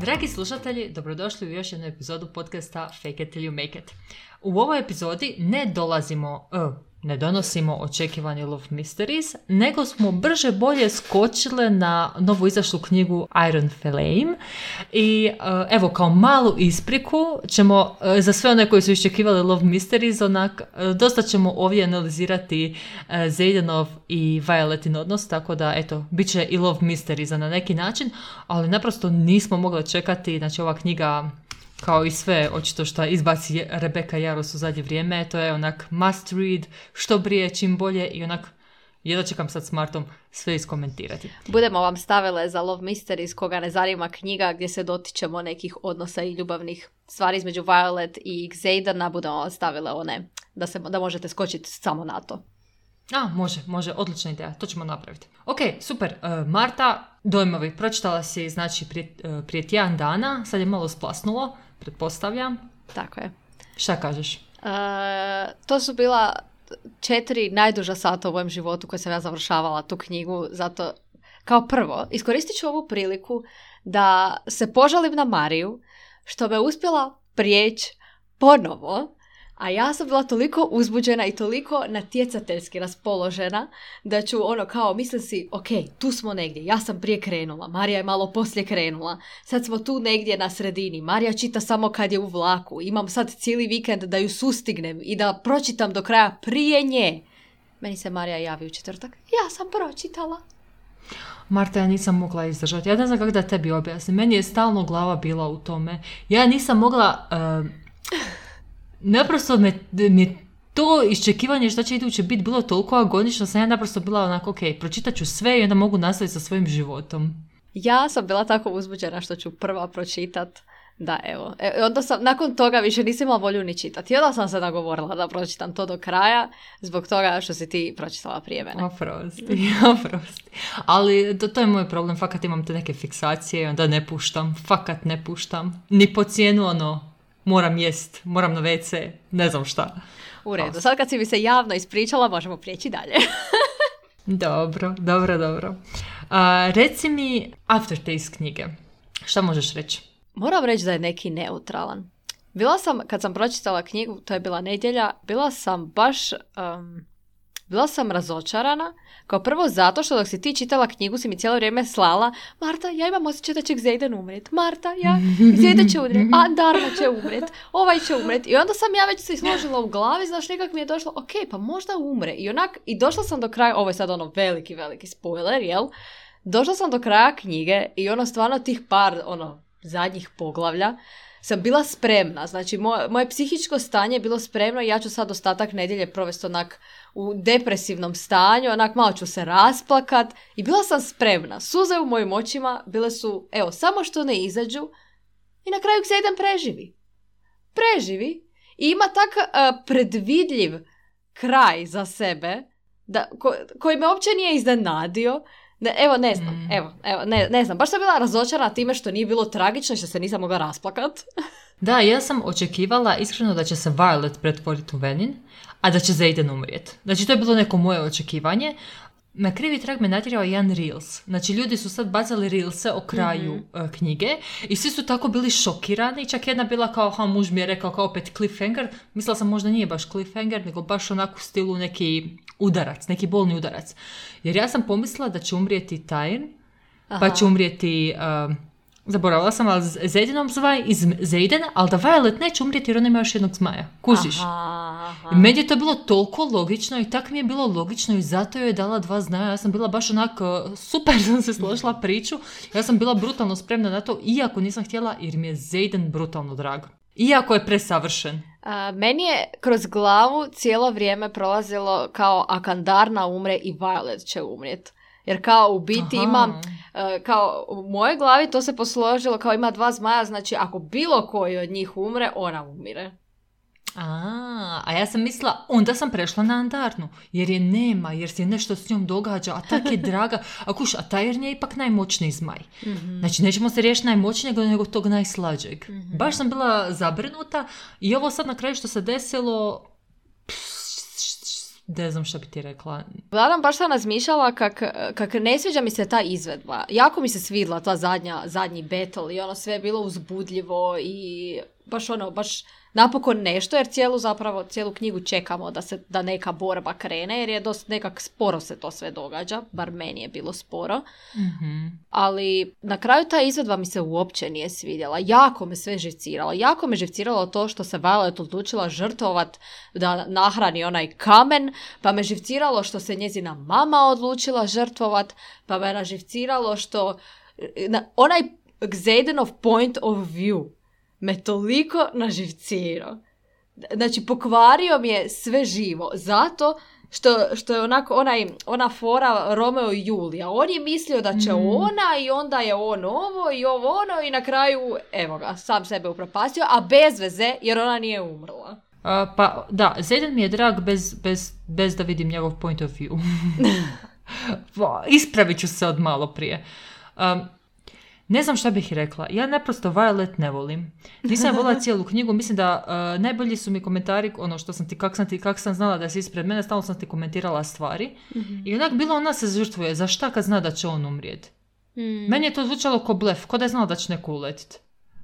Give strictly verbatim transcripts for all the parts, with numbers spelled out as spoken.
Dragi slušatelji, dobrodošli u još jednu epizodu podcasta Fake it till you make it. U ovoj epizodi ne dolazimo, uh, ne donosimo očekivani Love Mysteries, nego smo brže bolje skočile na novu izašlu knjigu Iron Flame. I uh, evo, kao malu ispriku ćemo, uh, za sve one koji su iščekivali Love Mysteries, onak, uh, dosta ćemo ovdje analizirati uh, Xadenov i Violetin odnos, tako da, eto, bit će i Love Mysteries na neki način, ali naprosto nismo mogli čekati, znači ova knjiga, kao i sve, očito što izbaci Rebecca Yarros u zadnje vrijeme, to je onak must read, što prije, čim bolje i onak, jedva čekam sad s Martom sve iskomentirati. Budemo vam stavile za Love Mysteries, koga ne zanima knjiga gdje se dotičemo nekih odnosa i ljubavnih stvari između Violet i Xadena, budemo vam stavile one da, se, da možete skočiti samo na to. A, može, može, odlična ideja, to ćemo napraviti. Ok, super, uh, Marta, dojmovi, pročitala si, znači, prije, uh, prije tjedan dana, sad je malo splasnulo, pretpostavljam. Tako je. Šta kažeš? Uh, to su bila četiri najduža sata u mojem životu koje sam ja završavala tu knjigu, zato kao prvo iskoristit ću ovu priliku da se požalim na Mariju što me uspjela prijeći ponovo, a ja sam bila toliko uzbuđena i toliko natjecateljski raspoložena da ću ono kao, mislim si, ok, tu smo negdje, ja sam prije krenula, Marija je malo poslije krenula, sad smo tu negdje na sredini, Marija čita samo kad je u vlaku, imam sad cijeli vikend da ju sustignem i da pročitam do kraja prije nje. Meni se Marija javi u četvrtak, ja sam pročitala. Marta, ja nisam mogla izdržati, ja ne znam kako da tebi objasnim, meni je stalno glava bila u tome, ja nisam mogla... Uh... Naprosto me, mi to iščekivanje što će iduće biti bilo toliko agonično, sam ja naprosto bila onako, ok, pročitat ću sve i onda mogu nastaviti sa svojim životom. Ja sam bila tako uzbuđena što ću prva pročitat, da evo. E, onda sam, nakon toga više nisam imala volju ni čitati. I onda sam se nagovorila da pročitam to do kraja, zbog toga što si ti pročitala prije mene. Oprosti, oprosti. Ali to, to je moj problem, fakat imam te neke fiksacije i onda ne puštam, fakat ne puštam. Ni po cijenu ono... moram jest, moram na ve ce, ne znam šta. U redu, sad kad si mi se javno ispričala, možemo prijeći dalje. Dobro, dobro, dobro. Uh, reci mi aftertaste knjige. Šta možeš reći? Moram reći da je neki neutralan. Bila sam, kad sam pročitala knjigu, to je bila nedjelja, bila sam baš... Um, bila sam razočarana, kao prvo zato što dok si ti čitala knjigu si mi cijelo vrijeme slala Marta, ja imam osjećaj da će Xaden umret. Marta, ja, Xaden će umret. A, Darla će umret. Ovaj će umret. I onda sam ja već se složila u glavi, znaš, nekak mi je došlo, ok, pa možda umre. I onak, i došla sam do kraja, ovo je sad ono veliki, veliki spoiler, jel? Došla sam do kraja knjige i ono stvarno tih par, ono, zadnjih poglavlja, sam bila spremna, znači moje, moje psihičko stanje je bilo spremno i ja ću sad ostatak nedjelje provesti onak u depresivnom stanju, onak malo ću se rasplakat i bila sam spremna. Suze u mojim očima bile su, evo, samo što ne izađu i na kraju Xaden preživi. Preživi i ima tak uh, predvidljiv kraj za sebe da, ko, koji me uopće nije iznenadio. Ne, evo, ne znam, mm. evo, evo ne, ne znam, baš sam bila razočarana time što nije bilo tragično i što se nisam mogla rasplakat. Da, ja sam očekivala iskreno da će se Violet pretvoriti u Venin, a da će Xaden umrijeti. Znači, to je bilo neko moje očekivanje. Na krivi trag me natjerao jedan Reels. Znači, ljudi su sad bacali Reelse o kraju mm-hmm. uh, knjige i svi su tako bili šokirani. Čak jedna bila kao, ha, muž mi je rekao kao opet cliffhanger. Mislila sam možda nije baš cliffhanger, nego baš onako u stilu neki udarac, neki bolni udarac. Jer ja sam pomislila da će umrijeti Tyrion, pa će umrijeti... Uh, zaboravila sam, ali Xadenom zvaj iz Xadena, ali da Violet neće umrijeti jer ona ima još jednog zmaja. Kužiš? Aha, aha. I meni je to bilo toliko logično i tako mi je bilo logično i zato joj je dala dva zmaja. Ja sam bila baš onako, super sam se složila priču. Ja sam bila brutalno spremna na to, iako nisam htjela, jer mi je Xaden brutalno drag. Iako je presavršen. A, meni je kroz glavu cijelo vrijeme prolazilo kao ako Darna umre i Violet će umrijeti. Jer kao u biti Aha. imam, uh, kao u mojoj glavi to se posložilo kao ima dva zmaja, znači ako bilo koji od njih umre, ona umire. A, a ja sam mislila, onda sam prešla na Andarnu, jer je nema, jer se nešto s njom događa, a tak je draga. A kuš, a Tyrion je ipak najmoćniji zmaj. Mm-hmm. Znači, nećemo se riješiti najmoćnijeg, nego tog najslađeg. Mm-hmm. Baš sam bila zabrinuta i ovo sad na kraju što se desilo... Ne znam šta bi ti rekla. Uglavnom, baš sam razmišljala kak, kak ne sviđa mi se ta izvedba. Jako mi se svidla ta zadnja, zadnji battle i ono sve je bilo uzbudljivo i baš ono, baš napokon nešto, jer cijelu zapravo, cijelu knjigu čekamo da se, da neka borba krene, jer je dosta nekak sporo se to sve događa, bar meni je bilo sporo. Mm-hmm. Ali na kraju ta izvedba mi se uopće nije svidjela. Jako me sve živciralo. Jako me živciralo to što se Violet odlučila žrtvovat da nahrani onaj kamen, pa me živciralo što se njezina mama odlučila žrtvovat, pa me naživciralo što na, onaj Xadenov point of view me toliko naživcirao. Znači, pokvario mi je sve živo. Zato što, što je onako onaj, ona fora Romeo i Julija. On je mislio da će mm. ona i onda je on ovo i ovo ono i na kraju, evo ga, sam sebe upropastio, a bez veze jer ona nije umrla. Uh, pa da, Xaden mi je drag bez, bez, bez da vidim njegov point of view. Ispravit ću se od malo prije. Um, Ne znam šta bih rekla. Ja naprosto Violet ne volim. Nisam volila cijelu knjigu. Mislim da uh, najbolji su mi komentari, ono što sam ti, kak sam ti, kak sam znala da si ispred mene, stalno sam ti komentirala stvari. Mm-hmm. I onak bilo ona se žrtvuje. Za šta kad zna da će on umrijeti? Mm. Meni je to zvučalo ko blef, ko da je znala da će neko uletiti.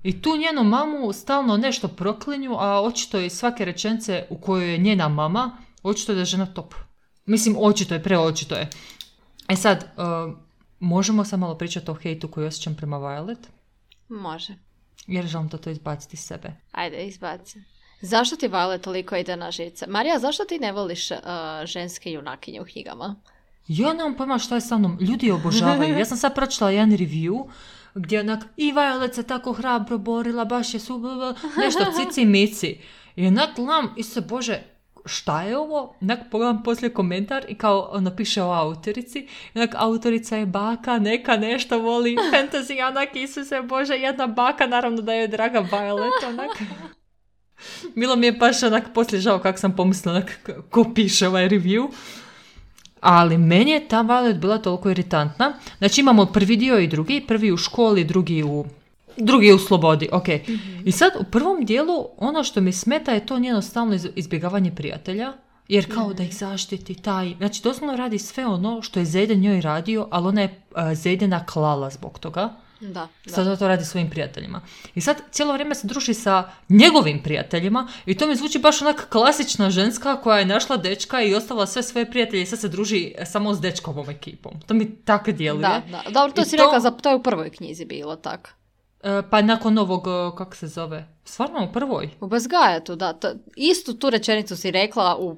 I tu njenu mamu stalno nešto proklinju, a očito je svake rečenice u kojoj je njena mama, očito je da je žena top. Mislim, očito je, preočito je. E sad... Uh, Možemo samo malo pričati o hejtu koji osjećam prema Violet? Može. Jer želim to, to izbaciti iz sebe. Ajde, izbaci. Zašto ti Violet toliko ide na živce? Marija, zašto ti ne voliš uh, ženske junakinje u knjigama? Ja nemam pojma šta je sa mnom. Ljudi je obožavaju. Ja sam sad pročitala jedan review gdje onak i Violet se tako hrabro borila, baš je su nešto cici mici. I onak gledam i se, bože, šta je ovo? Onak pogledam poslije komentar i kao ono piše o autorici. Onak autorica je baka, neka nešto voli fantasy, onak Isuse Bože, jedna baka, naravno da je draga Violet, onak. Bilo mi je baš onak poslije žao kako sam pomislila onak ko piše ovaj review. Ali meni je ta Violet bila toliko iritantna. Znači imamo prvi dio i drugi, prvi u školi, drugi u drugi u slobodi, ok. Mm-hmm. I sad u prvom dijelu ono što mi smeta je to njeno stalno izbjegavanje prijatelja, jer kao mm. da ih zaštiti taj, znači doslovno radi sve ono što je Xaden njoj radio, ali ona je uh, Xadena klala zbog toga. Da, da. Sad to radi svojim prijateljima. I sad cijelo vrijeme se druži sa njegovim prijateljima i to mi zvuči baš onak klasična ženska koja je našla dečka i ostavila sve svoje prijatelje i sad se druži samo s dečkovom ekipom. To mi tako djeluje. Da, da. Dobro, to I si to... rekla, za, to je u prvoj knjizi bilo tako. Pa nakon ovog, kako se zove, stvarno u prvoj? U Bezgajatu, da. To, istu tu rečenicu si rekla u,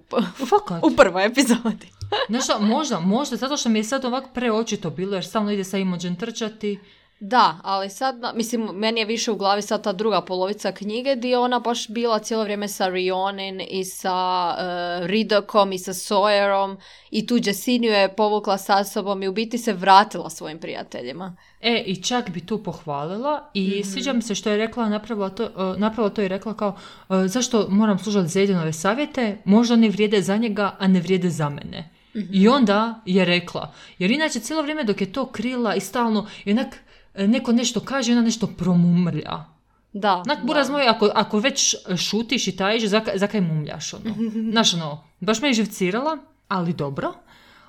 u prvoj epizodi. Nešto, možda, možda, zato što mi je sad ovako preočito bilo, jer stalno ide sa Imogen trčati. Da, ali sad, mislim, meni je više u glavi sad ta druga polovica knjige gdje je ona baš bila cijelo vrijeme sa Rionin i sa uh, Ridokom i sa Sawyerom i tu Jessiniju je povukla sa sobom i u biti se vratila svojim prijateljima. E, i čak bi tu pohvalila i mm-hmm. sviđa mi se što je rekla, napravila to, uh, napravila to i rekla kao uh, zašto moram slušati Xadenove savjete, možda oni vrijede za njega, a ne vrijede za mene. Mm-hmm. I onda je rekla, jer inače cijelo vrijeme dok je to krila i stalno, jednak neko nešto kaže, ona nešto promumrlja. Da. Onak, buraz moj, ako, ako već šutiš i tajiš, zakaj, zakaj mumljaš, ono. Znaš, ono, baš me je živcirala, ali dobro.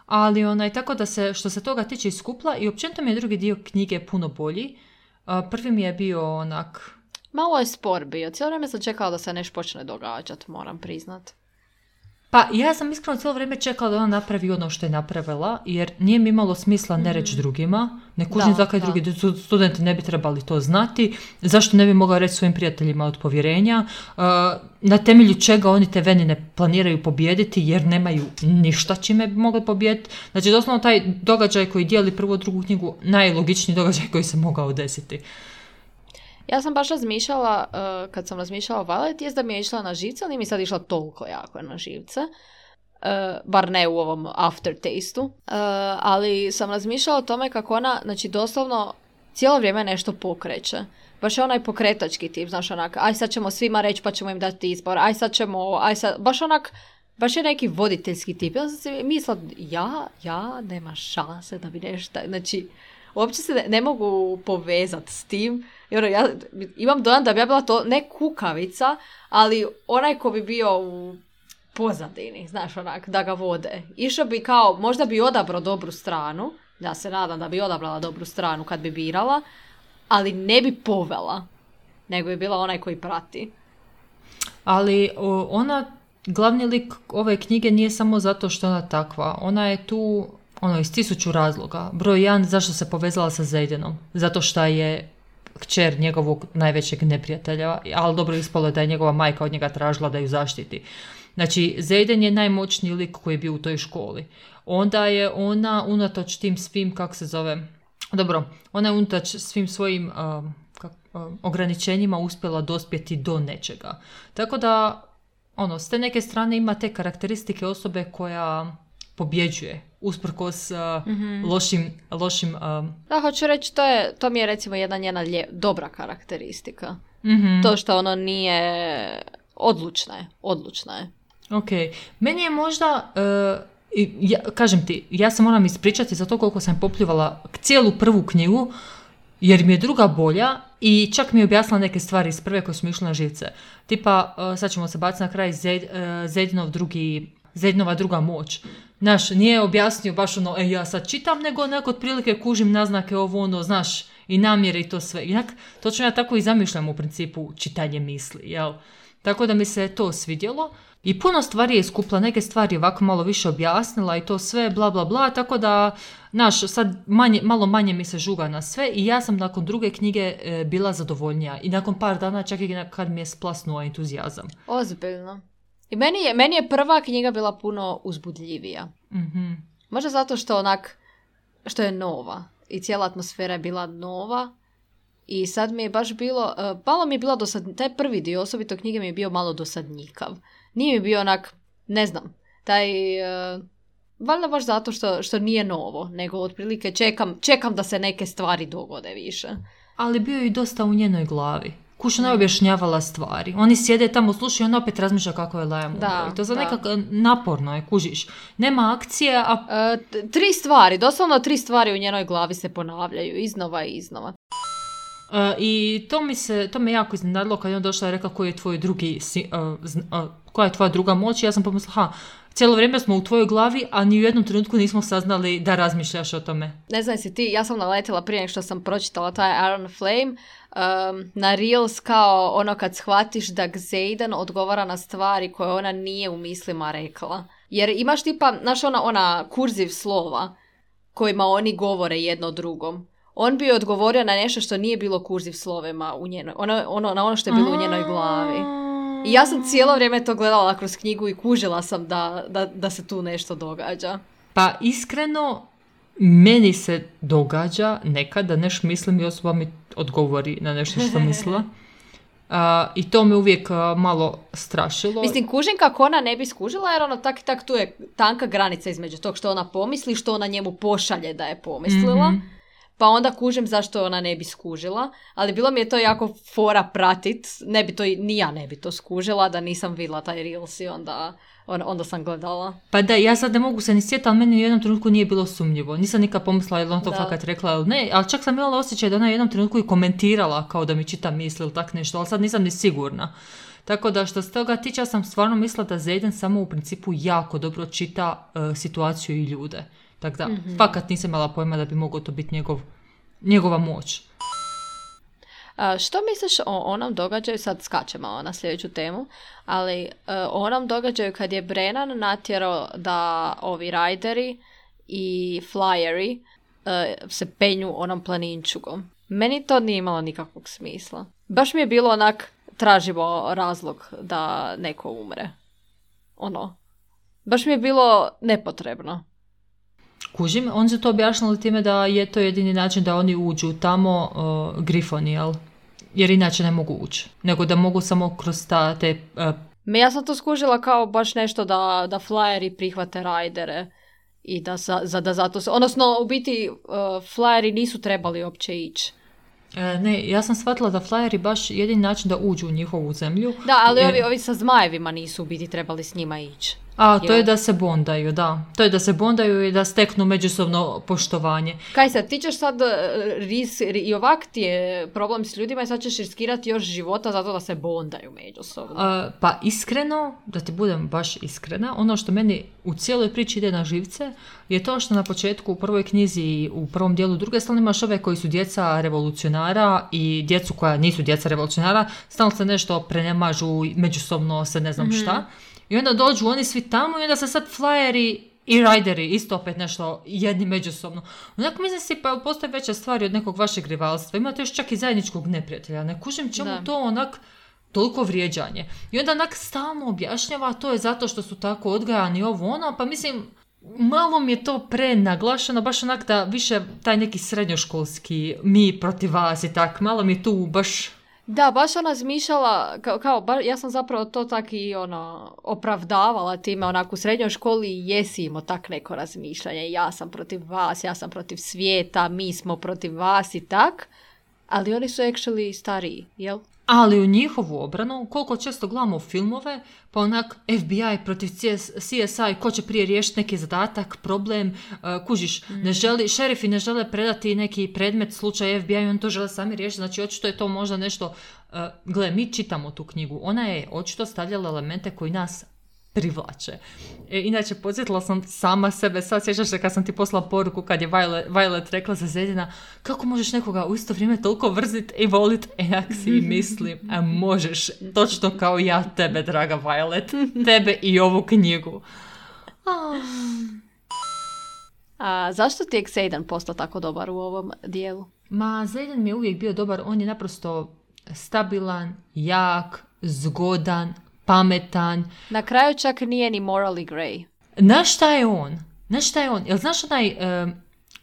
Ali onaj, tako da se, što se toga tiče iskupla i općenito mi je drugi dio knjige puno bolji. Uh, prvi mi je bio onak... Malo je spor bio. Cijelo vrijeme sam čekala da se nešto počne događati, moram priznat. Pa ja sam iskreno cijelo vrijeme čekala da ona napravi ono što je napravila, jer nije mi imalo smisla ne reći drugima, ne kužim zakaj drugi studenti ne bi trebali to znati, zašto ne bi mogla reći svojim prijateljima od povjerenja, uh, na temelju čega oni te venine planiraju pobijediti, jer nemaju ništa čime bi mogli pobijediti. Znači, doslovno taj događaj koji dijeli prvu drugu knjigu, najlogičniji događaj koji se mogao desiti. Ja sam baš razmišljala, uh, kad sam razmišljala o Violet, jest da mi je išla na živce, ali nije mi sad išla toliko jako na živce. Uh, bar ne u ovom aftertastu. Uh, ali sam razmišljala o tome kako ona, znači doslovno, cijelo vrijeme nešto pokreće. Baš je onaj pokretački tip, znaš onak, aj sad ćemo svima reći pa ćemo im dati izbor, aj sad ćemo, aj sad, baš onak, baš je neki voditeljski tip. Ja sam si mislila, ja, ja, nema šanse da bi nešto, znači, uopće se ne, ne mogu povezati s tim. I ono, ja imam dojam da bi ja bila to ne kukavica, ali onaj ko bi bio u pozadini, znaš, onak, da ga vode. Išao bi kao, možda bi odabrao dobru stranu, ja se nadam da bi odabrala dobru stranu kad bi birala, ali ne bi povela, nego bi bila onaj koji prati. Ali o, ona, glavni lik ove knjige nije samo zato što ona takva. Ona je tu ono, iz tisuću razloga. Broj jedan, zašto se povezala sa Zaydenom? Zato što je kćer njegovog najvećeg neprijatelja, ali dobro ispalo je da je njegova majka od njega tražila da ju zaštiti. Znači, Zayden je najmoćniji lik koji je bio u toj školi. Onda je ona, unatoč tim svim, kako se zove, dobro, ona je unatoč svim svojim uh, kak, uh, ograničenjima uspjela dospjeti do nečega. Tako da, ono, s te neke strane ima te karakteristike osobe koja pobjeđuje, usprkos uh, mm-hmm. lošim... lošim uh... Da, hoću reći, to, je, to mi je recimo jedna njena lje, dobra karakteristika. Mm-hmm. To što ono nije... Odlučna je, odlučna je. Ok, meni je možda... Uh, ja, kažem ti, ja se moram ispričati za to koliko sam popljivala cijelu prvu knjigu, jer mi je druga bolja i čak mi je objasnila neke stvari iz prve koje su mi išle na živce. Tipa, uh, sad ćemo se baciti na kraj, Zaydenov drugi... Zaydenova druga moć. Znaš, nije objasnio baš ono, e, ja sad čitam, nego neko otprilike kužim naznake ovo ono, znaš, i namjere i to sve. Inak, točno ja tako i zamišljam u principu čitanje misli, jel? Tako da mi se to svidjelo. I puno stvari je skupla, neke stvari ovako malo više objasnila i to sve, bla, bla, bla, tako da, znaš, sad manje, malo manje mi se žuga na sve i ja sam nakon druge knjige e, bila zadovoljnija. I nakon par dana čak i kad mi je splasnuo entuzijazam. Ozbiljno. I meni je, meni je prva knjiga bila puno uzbudljivija. Mm-hmm. Možda zato što onak, što je nova. I cijela atmosfera je bila nova. I sad mi je baš bilo, uh, malo mi je bilo dosad, taj prvi dio osobito knjige mi je bio malo dosadnjikav. Nije mi bio onak, ne znam, taj, uh, valjda baš zato što, što nije novo, nego otprilike čekam, čekam da se neke stvari dogode više. Ali bio je i dosta u njenoj glavi. Kuša ne objašnjavala stvari. Oni sjede tamo, slušaju i on opet razmišlja kako je Liam umro. I to za nekako naporno je, kužiš. Nema akcije, a... E, t- tri stvari, doslovno tri stvari u njenoj glavi se ponavljaju, iznova i iznova. Uh, I to mi se, to me jako iznenadilo kad je on došla i rekla koji je tvoj drugi, uh, uh, koja je tvoja druga moć. I ja sam pomislila, ha, cijelo vrijeme smo u tvojoj glavi, a ni u jednom trenutku nismo saznali da razmišljaš o tome. Ne znam si ti, ja sam naletila prije nego što sam pročitala taj Iron Flame, um, na Reels kao ono kad shvatiš da Xaden odgovara na stvari koje ona nije u mislima rekla. Jer imaš tipa, znaš ona, ona kurziv slova kojima oni govore jedno drugom. On bi odgovorio na nešto što nije bilo kurziv slovima u njenoj, ono, ono, na ono što je bilo u njenoj glavi. I ja sam cijelo vrijeme to gledala kroz knjigu i kužila sam da, da, da se tu nešto događa. Pa iskreno, meni se događa nekad da nešto mislim i osoba mi odgovori na nešto što sam mislila. Uh, I to me uvijek uh, malo strašilo. Mislim, kužim kako ona ne bi skužila, jer ono tak i tak tu je tanka granica između tog što ona pomisli, što ona njemu pošalje da je pomislila. Mm-hmm. Pa onda kužim zašto ona ne bi skužila, ali bilo mi je to jako fora pratit, ne bi to, ni ja ne bi to skužila, da nisam vidjela taj Reels i onda, onda sam gledala. Pa da, ja sad ne mogu se ni sjetiti, ali meni u jednom trenutku nije bilo sumnjivo. Nisam nikad pomislila je li on to da. fakat rekla ili ne, ali čak sam imala osjećaj da ona u jednom trenutku i komentirala kao da mi čita misli ili tak nešto, ali sad nisam ni sigurna. Tako da što se toga tiče, ja sam stvarno mislila da Zayden samo u principu jako dobro čita uh, situaciju i ljude. Tako da, mm-hmm. fakat nisam imala pojma da bi mogao to biti njegov, njegova moć. A, što misliš o onom događaju, sad skačemo na sljedeću temu, ali o onom događaju kad je Brennan natjerao da ovi rajderi i flyeri uh, se penju onom planinčugom. Meni to nije imalo nikakvog smisla. Baš mi je bilo onak, tražimo razlog da neko umre. Ono. Baš mi je bilo nepotrebno. Kužim, on se to objašnjali time da je to jedini način da oni uđu tamo uh, grifoni, jel? Jer inače ne mogu ući. Nego da mogu samo kroz ta, te... Uh... Me ja sam to skužila kao baš nešto da, da flyeri prihvate rajdere i da, za, za, da zato se... Odnosno, u biti, uh, flyeri nisu trebali uopće ići. E, ne, ja sam shvatila da flyeri baš jedini način da uđu u njihovu zemlju. Da, ali jer... ovi, ovi sa zmajevima nisu u biti trebali s njima ići. A, to je da se bondaju, da. To je da se bondaju i da steknu međusobno poštovanje. Kaj sad, ti ćeš sad, ris, i ovak ti je problem s ljudima i sad ćeš riskirati još života zato da se bondaju međusobno. A, pa iskreno, da ti budem baš iskrena, ono što meni u cijeloj priči ide na živce je to što na početku u prvoj knjizi i u prvom dijelu druge stalno imaš ove koji su djeca revolucionara i djecu koja nisu djeca revolucionara, stalno se nešto prenemažu, međusobno se ne znam mm-hmm. šta. I onda dođu oni svi tamo i onda se sad flyeri i rajderi isto opet nešto jedni međusobno. Onako mislim si pa postoje veća stvari od nekog vašeg rivalstva. Imate još čak i zajedničkog neprijatelja. Ne kužim čemu da. To onak toliko vrijeđanje. I onda onak stalno objašnjava to je zato što su tako odgajani ovo ono. Pa mislim, malo mi je to prenaglašeno. Baš onak da više taj neki srednjoškolski mi protiv vas i tak. Malo mi je tu baš... Da, baš ona zmišljala, kao, kao ba, ja sam zapravo to tak i ono, opravdavala time, onako u srednjoj školi jesi imao tak neko razmišljanje, ja sam protiv vas, ja sam protiv svijeta, mi smo protiv vas i tak, ali oni su actually stariji, jel? Ali u njihovu obranu, koliko često gledamo filmove, pa onak F B I protiv C S I, ko će prije riješiti neki zadatak, problem, uh, kužiš, mm. ne želi, šerifi ne žele predati neki predmet, slučaj F B I, on to žele sami riješiti, znači očito je to možda nešto, uh, gle, mi čitamo tu knjigu, ona je očito stavljala elemente koji nas privlače. E, inače, podsjetila sam sama sebe, sad sjećaš se kad sam ti poslala poruku kad je Violet, Violet rekla za Zedina, kako možeš nekoga u isto vrijeme toliko vrzit i volit, e, jak si mislim, a možeš, točno kao ja tebe, draga Violet, tebe i ovu knjigu. Oh. A zašto ti je Xaden postao tako dobar u ovom dijelu? Ma, Xaden mi je uvijek bio dobar, on je naprosto stabilan, jak, zgodan, pametan. Na kraju čak nije ni morally grey. Znaš šta je on? Znaš šta je on? Jel znaš onaj, uh,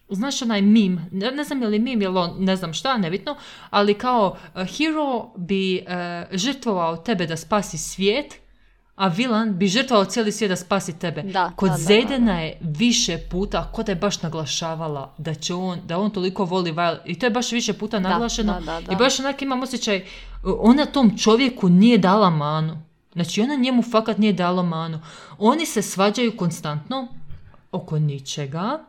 znaš onaj meme? Ne, ne znam je li meme, jel on, ne znam šta, nebitno, ali kao uh, hero bi uh, žrtvovao tebe da spasi svijet, a vilan bi žrtvovao cijeli svijet da spasi tebe. Da, Kod da, da, Zedena da, da. je više puta, kod je baš naglašavala da će on, da on toliko voli Violet. I to je baš više puta naglašeno. Da, da, da, da. I baš onak imam osjećaj, ona tom čovjeku nije dala manu. Znači, ona njemu fakat nije dala manu. Oni se svađaju konstantno oko ničega.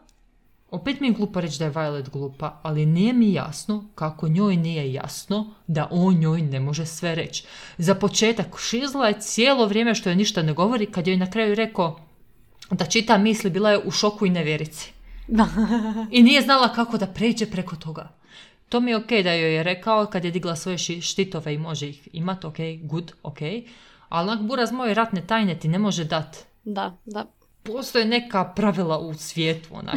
Opet mi je glupo reći da je Violet glupa, ali nije mi jasno kako njoj nije jasno da on njoj ne može sve reći. Za početak, šizla je cijelo vrijeme što je ništa ne govori, kad joj na kraju rekao da čita misli, bila je u šoku i nevjerici. I nije znala kako da pređe preko toga. To mi je ok da joj je rekao kad je digla svoje štitove i može ih imati, ok, good, ok. Ali onak buraz moje ratne tajne ti ne može dat. Da, da. Postoje neka pravila u svijetu, onak.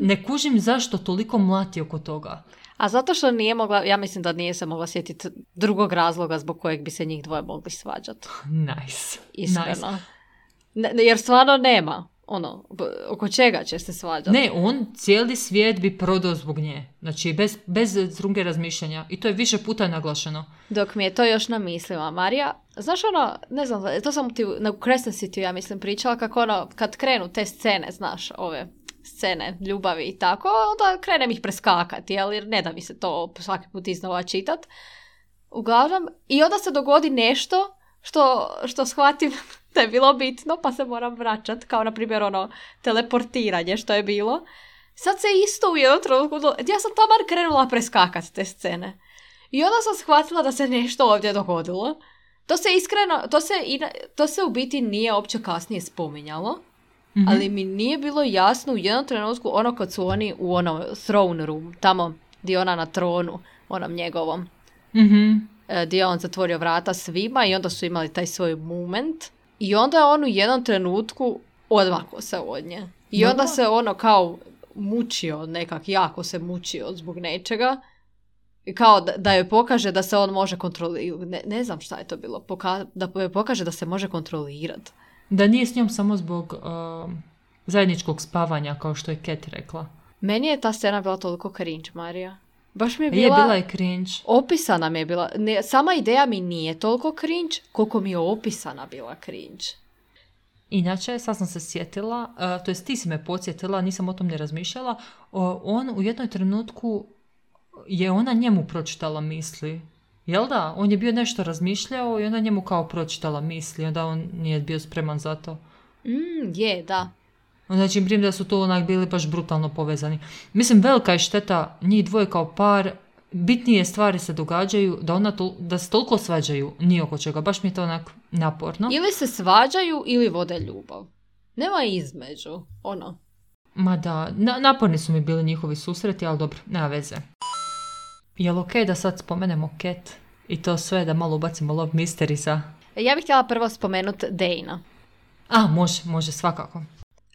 Ne kužim zašto toliko mlati oko toga. A zato što nije mogla, ja mislim da nije se mogla sjetiti drugog razloga zbog kojeg bi se njih dvoje mogli svađati. Nice. Iskreno. Nice. Ne, jer stvarno nema. Ono, oko čega će se svađati? Ne, on cijeli svijet bi prodao zbog nje. Znači, bez, bez druge razmišljanja. I to je više puta naglašeno. Dok mi je to još na mislima. Marija, znaš ono, ne znam, to sam ti na Crescent City, ja mislim, pričala kako ono, kad krenu te scene, znaš, ove scene ljubavi i tako, onda krenem ih preskakati, jer ne da mi se to svaki put iznova čitat. Uglavnom, i onda se dogodi nešto što, što shvatim da je bilo bitno, pa se moram vraćati, kao na primjer ono teleportiranje što je bilo. Sad se isto u jednom trenutku, ja sam taman krenula preskakati te scene. I onda sam shvatila da se nešto ovdje dogodilo. To se iskreno, to se, to se u biti nije uopće kasnije spominjalo, mm-hmm. ali mi nije bilo jasno u jednom trenutku ono kad su oni u onom throne room, tamo gdje ona na tronu, onom njegovom, mm-hmm. gdje je on zatvorio vrata svima i onda su imali taj svoj moment. I onda je on u jednom trenutku odmakao se od nje. I onda se ono kao mučio, nekak jako se mučio zbog nečega. I kao da, da joj pokaže da se on može kontrolirati. Ne, ne znam šta je to bilo. Poka- da joj pokaže da se može kontrolirati. Da nije s njom samo zbog uh, zajedničkog spavanja, kao što je Cat rekla. Meni je ta scena bila toliko cringe, Marija. Baš mi je bila... Je bila je cringe. Opisana mi je bila... Ne, sama ideja mi nije toliko cringe, koliko mi je opisana bila cringe. Inače, sad sam se sjetila, uh, to jest ti si me podsjetila, nisam o tom ne razmišljala, uh, on u jednom trenutku je ona njemu pročitala misli. Jel da? On je bio nešto razmišljao i ona njemu kao pročitala misli, onda on nije bio spreman za to. Mm, je, da. Znači, primjer da su to onak bili baš brutalno povezani. Mislim, velika je šteta njih dvoje kao par, bitnije stvari se događaju, da, ona to, da se toliko svađaju, nije oko čega. Baš mi je to onak naporno. Ili se svađaju ili vode ljubav. Nema između, ono. Ma da, na, naporni su mi bili njihovi susreti, ali dobro, nema veze. Jel okej da sad spomenemo Cat i to sve, da malo ubacimo Love Mysteriesa? Ja bih htjela prvo spomenuti Dana. A, može, može, svakako.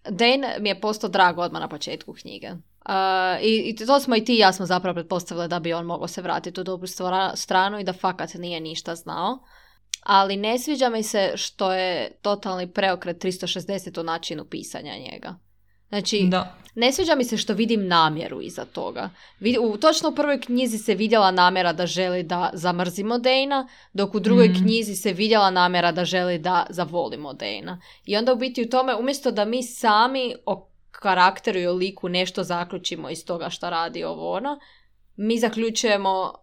Dane mi je postao drag odmah na početku knjige. Uh, i, I to smo i ti i ja smo zapravo pretpostavili da bi on mogao se vratiti u dobru stvara, stranu i da fakat nije ništa znao. Ali ne sviđa mi se što je totalni preokret tristo šezdeset u načinu pisanja njega. Znači, da. Ne sviđa mi se što vidim namjeru iza toga. U, točno u prvoj knjizi se vidjela namjera da želi da zamrzimo Dana, dok u drugoj mm. knjizi se vidjela namjera da želi da zavolimo Dana. I onda u biti u tome, umjesto da mi sami o karakteru i o liku nešto zaključimo iz toga što radi ovo ono, mi zaključujemo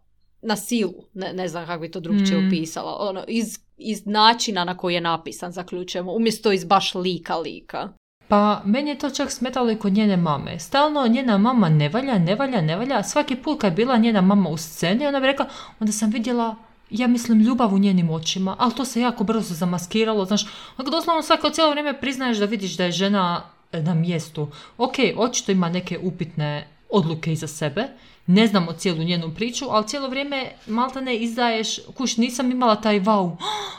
na silu, ne, ne znam kako bi to drugčije mm. opisala, ono, iz, iz načina na koji je napisan zaključujemo, umjesto iz baš lika lika. Pa, meni je to čak smetalo i kod njene mame. Stalno njena mama ne valja, ne valja, ne valja. Svaki put kad je bila njena mama u sceni, ona bi rekla, onda sam vidjela, ja mislim, ljubav u njenim očima, ali to se jako brzo zamaskiralo, znaš. Ako doslovno svako cijelo vrijeme priznaješ da vidiš da je žena na mjestu. Ok, očito ima neke upitne odluke iza sebe, ne znamo cijelu njenu priču, ali cijelo vrijeme maltene izdaješ, kuš, nisam imala taj wow,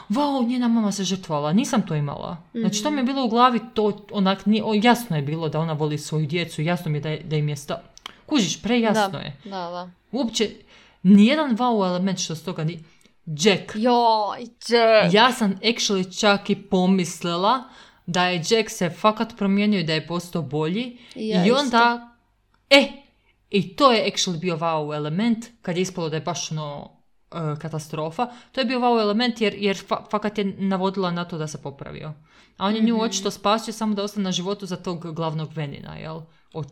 wow, njena mama se žrtvala, nisam to imala. Mm-hmm. Znači, to mi je bilo u glavi, to onak, nije, o, jasno je bilo da ona voli svoju djecu, jasno mi je da, je, da im je sta... Kužiš, prejasno da, je. Da, da. Uopće, nijedan wow element što s toga ni... Jack. Joj, Jack. Ja sam actually čak i pomislila da je Jack se fakat promijenio i da je postao bolji. Ja, i onda... E, i to je actually bio wow element, kad je ispalo da je baš ono uh, katastrofa. To je bio wow element jer, jer fa- fakat je navodila na to da se popravio. A on je mm-hmm. nju očito spasio samo da ostane na životu za tog glavnog venina, jel? O,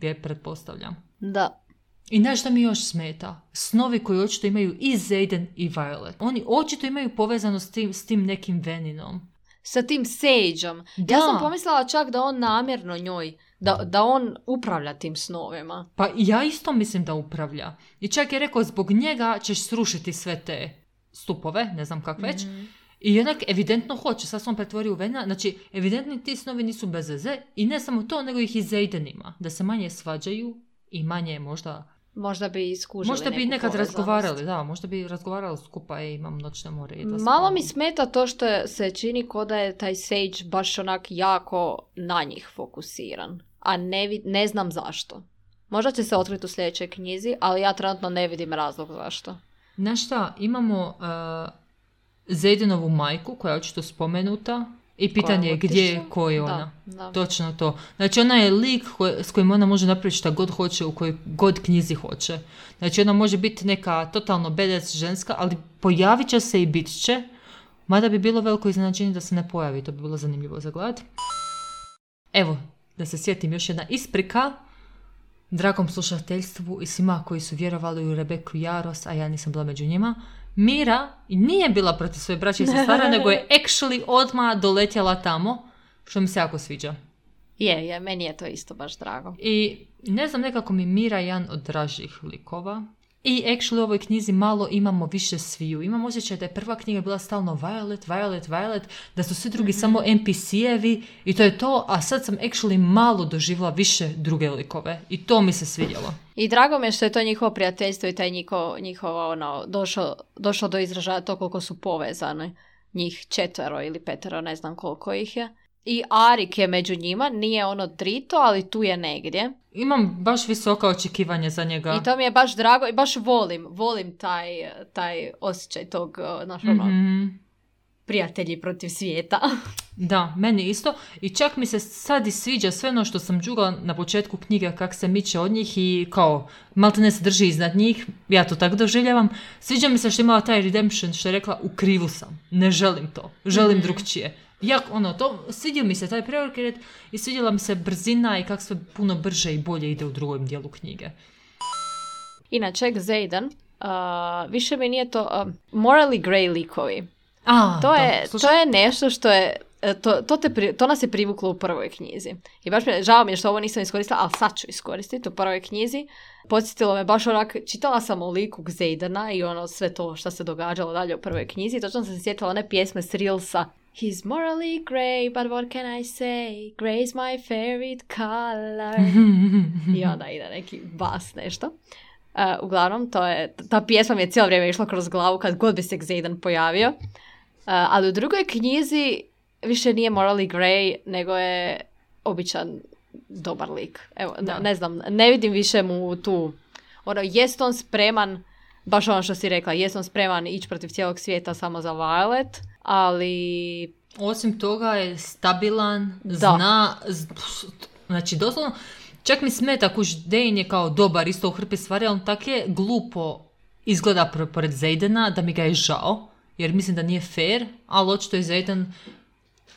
je pretpostavljam. Da. I znaš šta mi još smeta? Snovi koji očito imaju i Xaden i Violet. Oni očito imaju povezano s tim, s tim nekim veninom. Sa tim Sageom. Ja sam pomislila čak da on namjerno njoj, da, da on upravlja tim snovima. Pa ja isto mislim da upravlja. I čak je rekao, zbog njega ćeš srušiti sve te stupove, ne znam kak već. Mm-hmm. I jednak evidentno hoće, sad sam pretvorio u venina. Znači, evidentni ti snovi nisu bez veze. I ne samo to, nego ih i Xaden ima. Da se manje svađaju i manje možda... Možda bi iskužili Možda bi nekad povezanost. razgovarali, da, možda bi razgovarali skupa i imam noćne more. I malo mi smeta to što se čini ko da je taj Sage baš onak jako na njih fokusiran. A ne, vid- ne znam zašto. Možda će se otkriti u sljedećoj knjizi, ali ja trenutno ne vidim razlog zašto. Znaš šta, imamo uh, Xadenovu majku koja je očito spomenuta. I pitanje je gdje je, ko je ona. Da, da. Točno to. Znači ona je lik koj, s kojim ona može napraviti šta god hoće, u kojoj god knjizi hoće. Znači ona može biti neka totalno badass ženska, ali pojavit će se i bit će. Mada bi bilo veliko iznenađenje da se ne pojavi. To bi bilo zanimljivo za gledati. Evo, da se sjetim još jedna isprika. Dragom slušateljstvu i svima koji su vjerovali u Rebeku Jaros, a ja nisam bila među njima. Mira nije bila protiv svoje braće i sestara, nego je actually odmah doletjela tamo, što mi se jako sviđa. Je, je, meni je to isto baš drago. I ne znam, nekako mi Mira je jedan od dražih likova. I actually u ovoj knjizi malo imamo više sviju. Imam osjećaj da je prva knjiga bila stalno Violet, Violet, Violet, da su svi drugi mm-hmm. samo en pi si-evi i to je to, a sad sam actually malo doživjela više druge likove i to mi se svidjelo. I drago mi je što je to njihovo prijateljstvo i taj njihovo, njihovo ono, došlo, došlo do izražaja to koliko su povezani. Njih četvero ili petero, ne znam koliko ih je. I Arik je među njima, nije ono drito, ali tu je negdje. Imam baš visoka očekivanja za njega. I to mi je baš drago i baš volim, volim taj, taj osjećaj tog, znaš, ono, mm-hmm. prijatelji protiv svijeta. Da, meni isto. I čak mi se sad i sviđa sve ono što sam džugala na početku knjige, kak se miče od njih i kao maltene se drži iznad njih. Ja to tako doživljavam. Sviđa mi se što je imala taj redemption, što je rekla u krivu sam. Ne želim to. Želim mm-hmm. drugčije. Jak, ono, to, svidio mi se taj preokret i svidjela mi se brzina i kako sve puno brže i bolje ide u drugom dijelu knjige. Inače, Xaden, uh, više mi nije to uh, morally grey likovi. A, to, da, je, to je nešto što je to, to, te pri, to nas je privuklo u prvoj knjizi. I baš mi, žao mi je što ovo nisam iskoristila, ali sad ću iskoristiti u prvoj knjizi. Podsjetilo me baš onak, čitala sam o liku Xaidana i ono sve to što se događalo dalje u prvoj knjizi. Točno sam se sjetila one pjesme s Reelsa. He's morally grey, but what can I say? Grey's my favorite color. I onda ide neki bas nešto. Uh, uglavnom, to je, ta pjesma mi je cijelo vrijeme išla kroz glavu kad god bi se Xaidan pojavio. Uh, ali u drugoj knjizi više nije morally grey, nego je običan dobar lik. Evo, ne, ne znam, ne vidim više mu tu, ono, jest on spreman, baš ono što si rekla, jest on spreman ići protiv cijelog svijeta samo za Violet, ali... Osim toga je stabilan, da. zna, z... znači doslovno, čak mi smeta kuž Dane je kao dobar isto u hrpi stvari, ali on tak je glupo izgleda pored Xaidana da mi ga je žao, jer mislim da nije fair, ali očito je Xaidan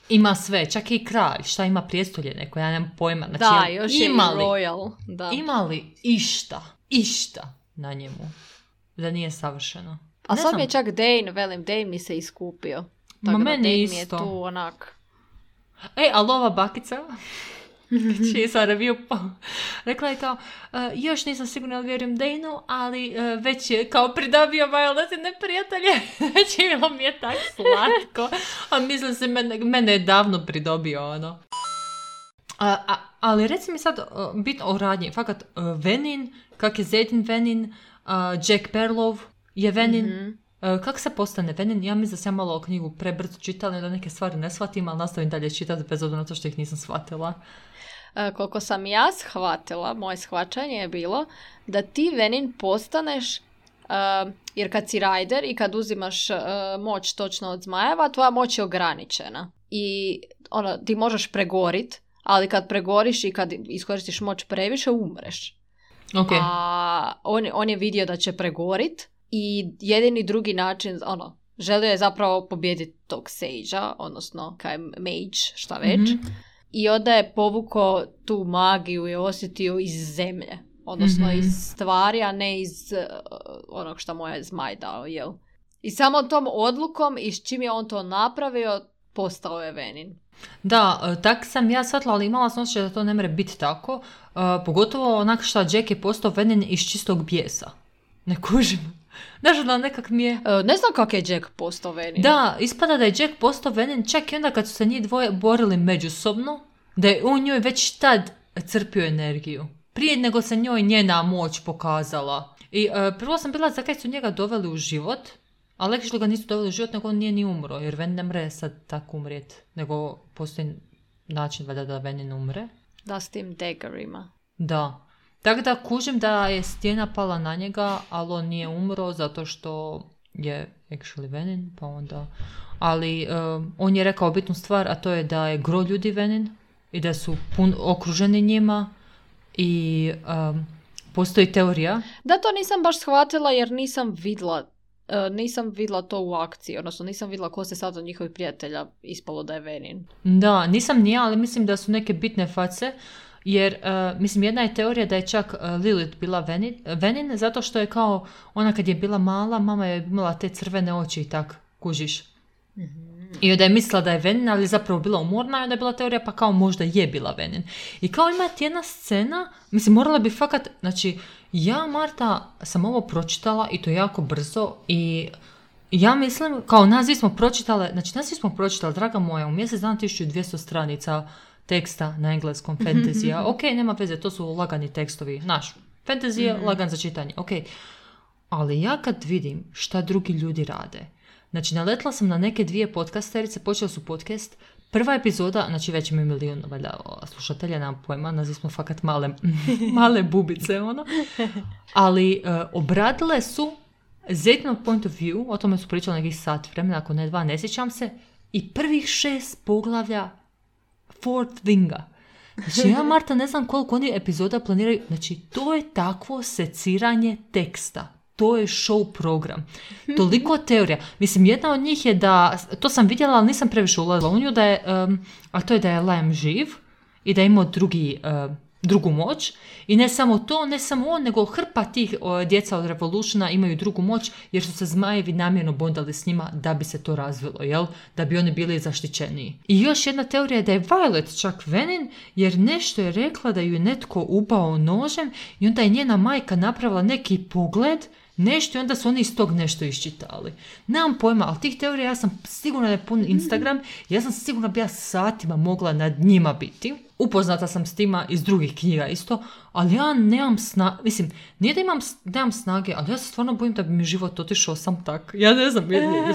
ima sve, čak i kralj, šta ima prijestolje neko, ja nemam pojma. Znači, da, još je imali, royal. Da. Ima li išta, išta na njemu da nije savršeno? A ne sad znam. mi je čak Dane, velim, Dane mi se iskupio. Tako Ma da meni Dane isto. mi je tu onak... Ej, ali ova bakica, čiji je sad review, pa, rekla je kao, uh, još nisam sigurna ali vjerujem Dane-u, ali uh, već je kao pridobio Violetine prijatelje. Znači, bilo mi je tak slatko. A mislim se, mene, mene je davno pridobio, ono. A, a, ali reci mi sad, uh, bit o radnji, fakat, uh, Venin, kak je Xaiden Venin, uh, Jack Perlov je Venin, mm-hmm. Uh, kako se postane Venin? Ja mislim da sam malo o knjigu prebrzo čitala, da neke stvari ne shvatim, ali nastavim dalje čitati bez obzira na to što ih nisam shvatila. Uh, koliko sam ja shvatila, moje shvaćanje je bilo da ti Venin postaneš, uh, jer kad si rider i kad uzimaš uh, moć točno od zmajeva, tvoja moć je ograničena. I ono, ti možeš pregorit, ali kad pregoriš i kad iskoristiš moć previše, umreš. Okay. A on, on je vidio da će pregorit i jedini drugi način, ono, želio je zapravo pobijediti tog Sage-a, odnosno kaj mage, šta već. Mm-hmm. I onda je povukao tu magiju i osjetio iz zemlje. Odnosno mm-hmm. iz stvari, a ne iz uh, onog što mu je zmaj dao, jel? I samo tom odlukom i s čim je on to napravio, postao je Venin. Da, tak sam ja shvatila, ali imala sam osjećaj da to ne može biti tako. Uh, pogotovo onak što Jack je postao Venin iz čistog bijesa. Ne kužim. Znaš, da nekak mi je... Uh, ne znam kak je Jack postao Venin. Da, ispada da je Jack postao Venin čak i onda kad su se njih dvoje borili međusobno, da je on njoj već tad crpio energiju. Prije nego se njoj njena moć pokazala. I uh, prvo sam bila zakaj su njega doveli u život, ali actually ga nisu doveli u život, nego on nije ni umro, jer Venin ne mre sad tako umrijet, nego postoji način valjda da Venin umre. Da, s tim daggerima. Da. Tako da kužim da je stijena pala na njega, ali on nije umro zato što je actually Venin, pa onda... Ali um, on je rekao bitnu stvar, a to je da je gro ljudi Venin i da su pun, okruženi njima i um, postoji teorija. Da, to nisam baš shvatila jer nisam vidla, uh, nisam vidla to u akciji, odnosno nisam vidla ko se sad od njihovih prijatelja ispalo da je Venin. Da, nisam ni ja, ali mislim da su neke bitne face. Jer, uh, mislim, jedna je teorija da je čak uh, Lilith bila Venin, Venin, zato što je kao, ona kad je bila mala, mama je imala te crvene oči i tak, kužiš. Mm-hmm. I onda je mislila da je Venin, ali zapravo bila umorna i onda je bila teorija, pa kao možda je bila Venin. I kao ima jedna scena, mislim, morala bi fakat, znači, ja, Marta, sam ovo pročitala i to jako brzo i ja mislim, kao nas svi smo pročitale, znači nas svi smo pročitali, draga moja, u mjesec dana tisuću dvjesto stranica teksta na engleskom, fantasy-a. Ok, nema veze, to su lagani tekstovi. Naš, fantasy je mm-hmm. lagan za čitanje. Ok, ali ja kad vidim šta drugi ljudi rade, znači naletla sam na neke dvije podcasterice, počeli su podcast, prva epizoda, znači već imaju milijun valjda, slušatelja, nam pojma, naziv smo fakat male, male bubice, ono. Ali uh, obradile su Xaidanov point of view, o tome su pričali nekih sat vremena, ako ne dva, ne sjećam se, i prvih šest poglavlja Fourth Winga. Znači ja, Marta, ne znam koliko oni epizoda planiraju. Znači, to je takvo seciranje teksta. To je show program. Toliko teorija. Mislim, jedna od njih je da, to sam vidjela, ali nisam previše ulazila u nju, da je, um, a to je da je Liam živ i da je imao drugi, uh, drugu moć i ne samo to, ne samo on, nego hrpa tih o, djeca od Revolutiona imaju drugu moć jer su se zmajevi namjerno bondali s njima da bi se to razvilo, jel? Da bi oni bili zaštićeniji. I još jedna teorija je da je Violet čak Venin jer nešto je rekla da ju je netko ubao nožem i onda je njena majka napravila neki pogled, nešto i onda su oni iz tog nešto iščitali. Nemam pojma, ali tih teorija ja sam sigurna da je pun Instagram, ja sam sigurna bi ja satima mogla nad njima biti. Upoznata sam s tima iz drugih knjiga isto, ali ja nemam snage, mislim, nije da imam, nemam snage, ali ja se stvarno bojim da bi mi život otišao sam tak. Ja ne znam, je, je,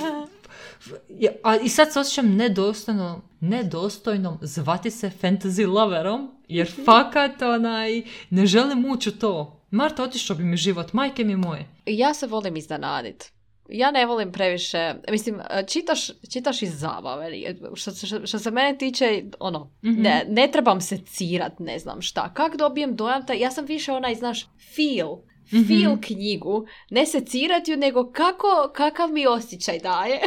je, a i sad se osjećam nedostojno, nedostojnom zvati se fantasy loverom, jer fakat onaj, ne želim ući u to. Marta, otišao bi mi život, majke mi moje. Ja se volim iznenadit. Ja ne volim previše, mislim, čitaš, čitaš iz zabave. Što, što, što se mene tiče, ono, mm-hmm. ne, ne trebam se cirat, ne znam šta. Kak dobijem dojam, ta, ja sam više onaj, znaš, feel, mm-hmm. feel knjigu, ne se cirat ju, nego kako, kakav mi osjećaj daje.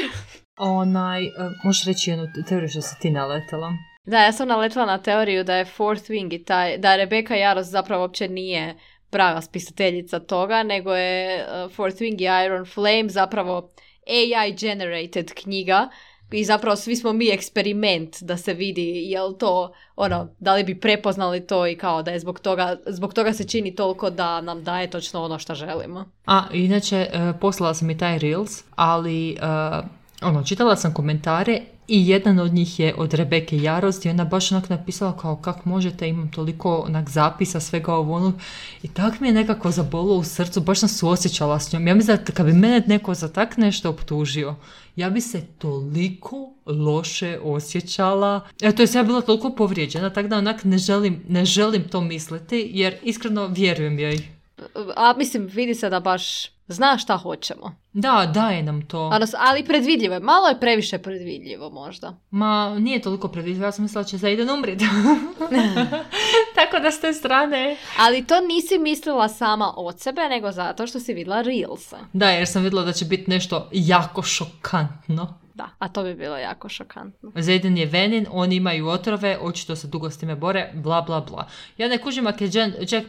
Onaj, uh, možeš reći jednu teoriju što si ti naletala? Da, ja sam naletala na teoriju da je Fourth Wing i taj, da Rebecca Yarros zapravo uopće nije prava spisateljica toga, nego je uh, Fourth Wing i Iron Flame zapravo A I generated knjiga i zapravo svi smo mi eksperiment da se vidi jel to, ono, da li bi prepoznali to i kao da je zbog toga, zbog toga se čini toliko da nam daje točno ono što želimo. A, inače, uh, poslala sam i taj Reels, ali uh, ono, čitala sam komentare i jedan od njih je od Rebecca Yarros i ona baš onak napisala kao kak možete, imam toliko onak zapisa svega ovo onog i tak mi je nekako zabolo u srcu, baš sam suosjećala s njom. Ja mislim da kad bi mene neko za tak nešto optužio, ja bi se toliko loše osjećala. E, to je ja bila toliko povrijeđena, tako da onak ne želim, ne želim to misliti jer iskreno vjerujem joj. A mislim, vidi se da baš zna šta hoćemo. Da, daje nam to. Ali predvidljivo je. Malo je previše predvidljivo možda. Ma, nije toliko predvidljivo. Ja sam mislila da će Zayden umriti. Tako da s te strane. Ali to nisi mislila sama od sebe, nego zato što si vidjela Reelse. Da, jer sam vidjela da će biti nešto jako šokantno. Da, a to bi bilo jako šokantno. Zayden je Venin, oni imaju otrove, očito se dugo s time bore, bla bla bla. Ja ne kužim ako je Jack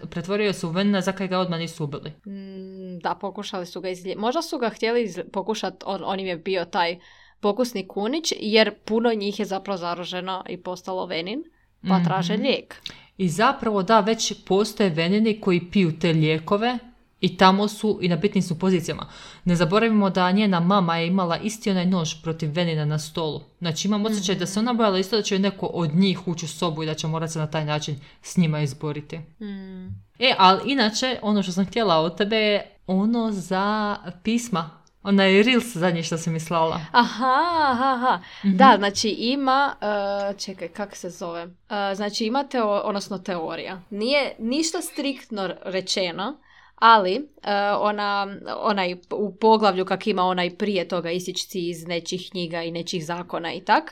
pretvorio se u Venina, zakaj ga odmah nisu ubili? Mm, da, pokušali su ga izliječiti. Možda su ga htjeli iz... pokušati, on, on im je bio taj pokusni kunić, jer puno njih je zapravo zaraženo i postalo Venin, pa mm-hmm. traže lijek. I zapravo da, već postoje Venini koji piju te lijekove, i tamo su i na bitnim su pozicijama. Ne zaboravimo da njena mama je imala isti onaj nož protiv Venina na stolu. Znači imam osjećaj mm-hmm. da se ona bojala isto da će neko od njih ući u sobu i da će morati se na taj način s njima izboriti. Mm. E, ali inače, ono što sam htjela od tebe je ono za pisma. Onaj Reels zadnji što si mi slala. Aha, aha, aha. Mm-hmm. Da, znači ima, uh, čekaj, kako se zove? Uh, znači ima teo, odnosno teorija. Nije ništa striktno rečeno, ali uh, ona, onaj u poglavlju kak ima onaj prije toga isičci iz nečih knjiga i nečih zakona i tak,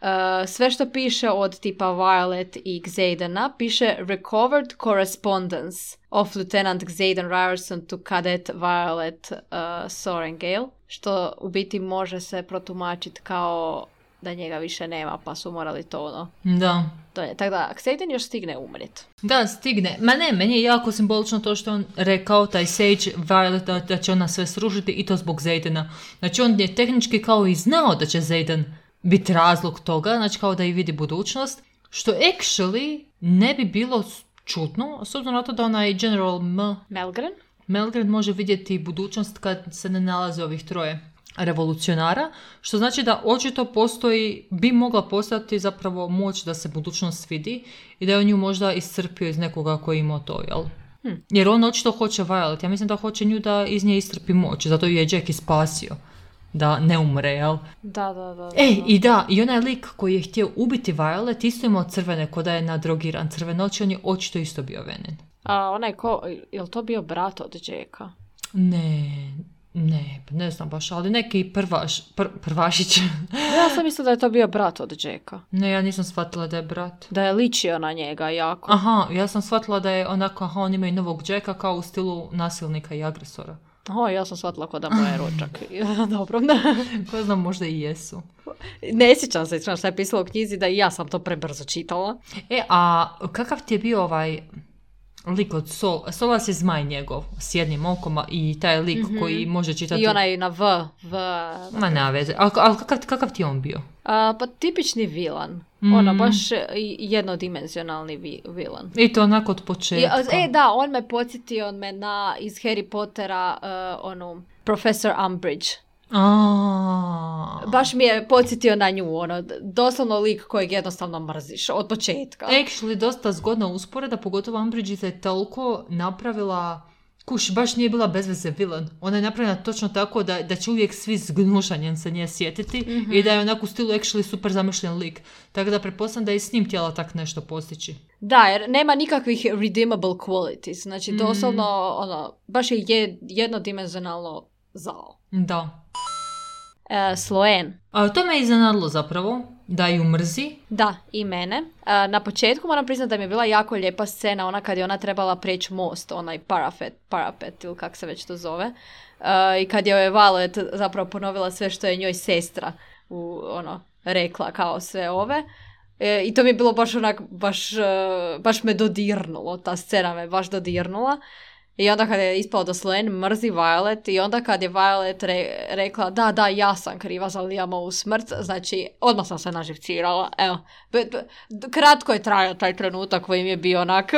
uh, sve što piše od tipa Violet i Xaidena piše recovered correspondence of Lieutenant Xaiden Ryerson to Cadet Violet uh, Sorengale, što u biti može se protumačiti kao da njega više nema, pa su morali to ono... Da. To je, tako da, Xaiden još stigne umrit. Da, stigne. Ma ne, meni je jako simbolično to što on rekao, taj Sage Violet, da, da će ona sve srušiti i to zbog Xaidena. Znači, on je tehnički kao i znao da će Xaiden biti razlog toga, znači kao da i vidi budućnost, što actually ne bi bilo čudno, s obzirom na to da onaj General M... Melgren? Melgren može vidjeti budućnost kad se ne nalaze ovih troje revolucionara, što znači da očito postoji, bi mogla postati zapravo moć da se budućnost vidi i da je on nju možda iscrpio iz nekoga koji je imao to, jel? Hmm. Jer on očito hoće Violet, ja mislim da hoće nju da iz nje iscrpi moć, zato ju je Jack ispasio, da ne umre, jel? Da, da, da. da. Ej, i da, i onaj lik koji je htio ubiti Violet isto imao crvene, ko da je nadrogiran crvene oči, on je očito isto bio Venin. A onaj ko, je li to bio brat od Jacka? Ne, Ne, ne znam baš, ali neki prvaš, pr, prvašić. Ja sam mislila da je to bio brat od Jacka. Ne, ja nisam shvatila da je brat. Da je ličio na njega jako. Aha, ja sam shvatila da je onako, aha, on ima i novog Jacka kao u stilu nasilnika i agresora. O, ja sam shvatila ko da moje rođak. Dobro. Ko znam, možda i jesu. Ne sjećam se, šta je pisalo u knjizi, da i ja sam to prebrzo čitala. E, a kakav ti je bio ovaj lik od Sol? Solas je zmaj njegov, s jednim okom i taj lik mm-hmm. koji može čitati... I onaj na V. v... Ma nema veze. Ali al, kakav, kakav ti je on bio? A, pa tipični vilan. Mm. Ono, baš jednodimenzionalni vi, vilan. I to onako od početka. I, e, da, on me podsjetio on me na, iz Harry Pottera, uh, onu, Professor Umbridge. A. Baš mi je podsjetio na nju, ono, doslovno lik kojeg jednostavno mrziš od početka. Actually, dosta zgodna usporeda, pogotovo Umbridge je toliko napravila, kuš, baš nije bila bezveze vilan. Ona je napravljena točno tako da, da će uvijek svi s gnušanjem se nje sjetiti mm-hmm. i da je onako u stilu actually super zamišljen lik. Tako da pretpostavljam da je s njim htjela tak nešto postići. Da, jer nema nikakvih redeemable qualities. Znači, doslovno, mm. ono, baš je jednodimenzionalno zao. Da. E, Sloane. A to me iznenadilo zapravo, da ju mrzi. Da, i mene. E, na početku moram priznati da mi je bila jako lijepa scena, ona kad je ona trebala preći most, onaj parapet, parapet ili kak se već to zove. E, I kad je Violet zapravo ponovila sve što je njoj sestra u, ono, rekla kao sve ove. E, I to mi je bilo baš onak, baš, baš me dodirnulo, ta scena me baš dodirnula. I onda kad je ispao da Sloane mrzi Violet i onda kad je Violet re, rekla da, da, ja sam kriva za Liamovu smrt, znači odmah sam se naživcirala. Evo, be, be, kratko je trajao taj trenutak koji mi je bio onak.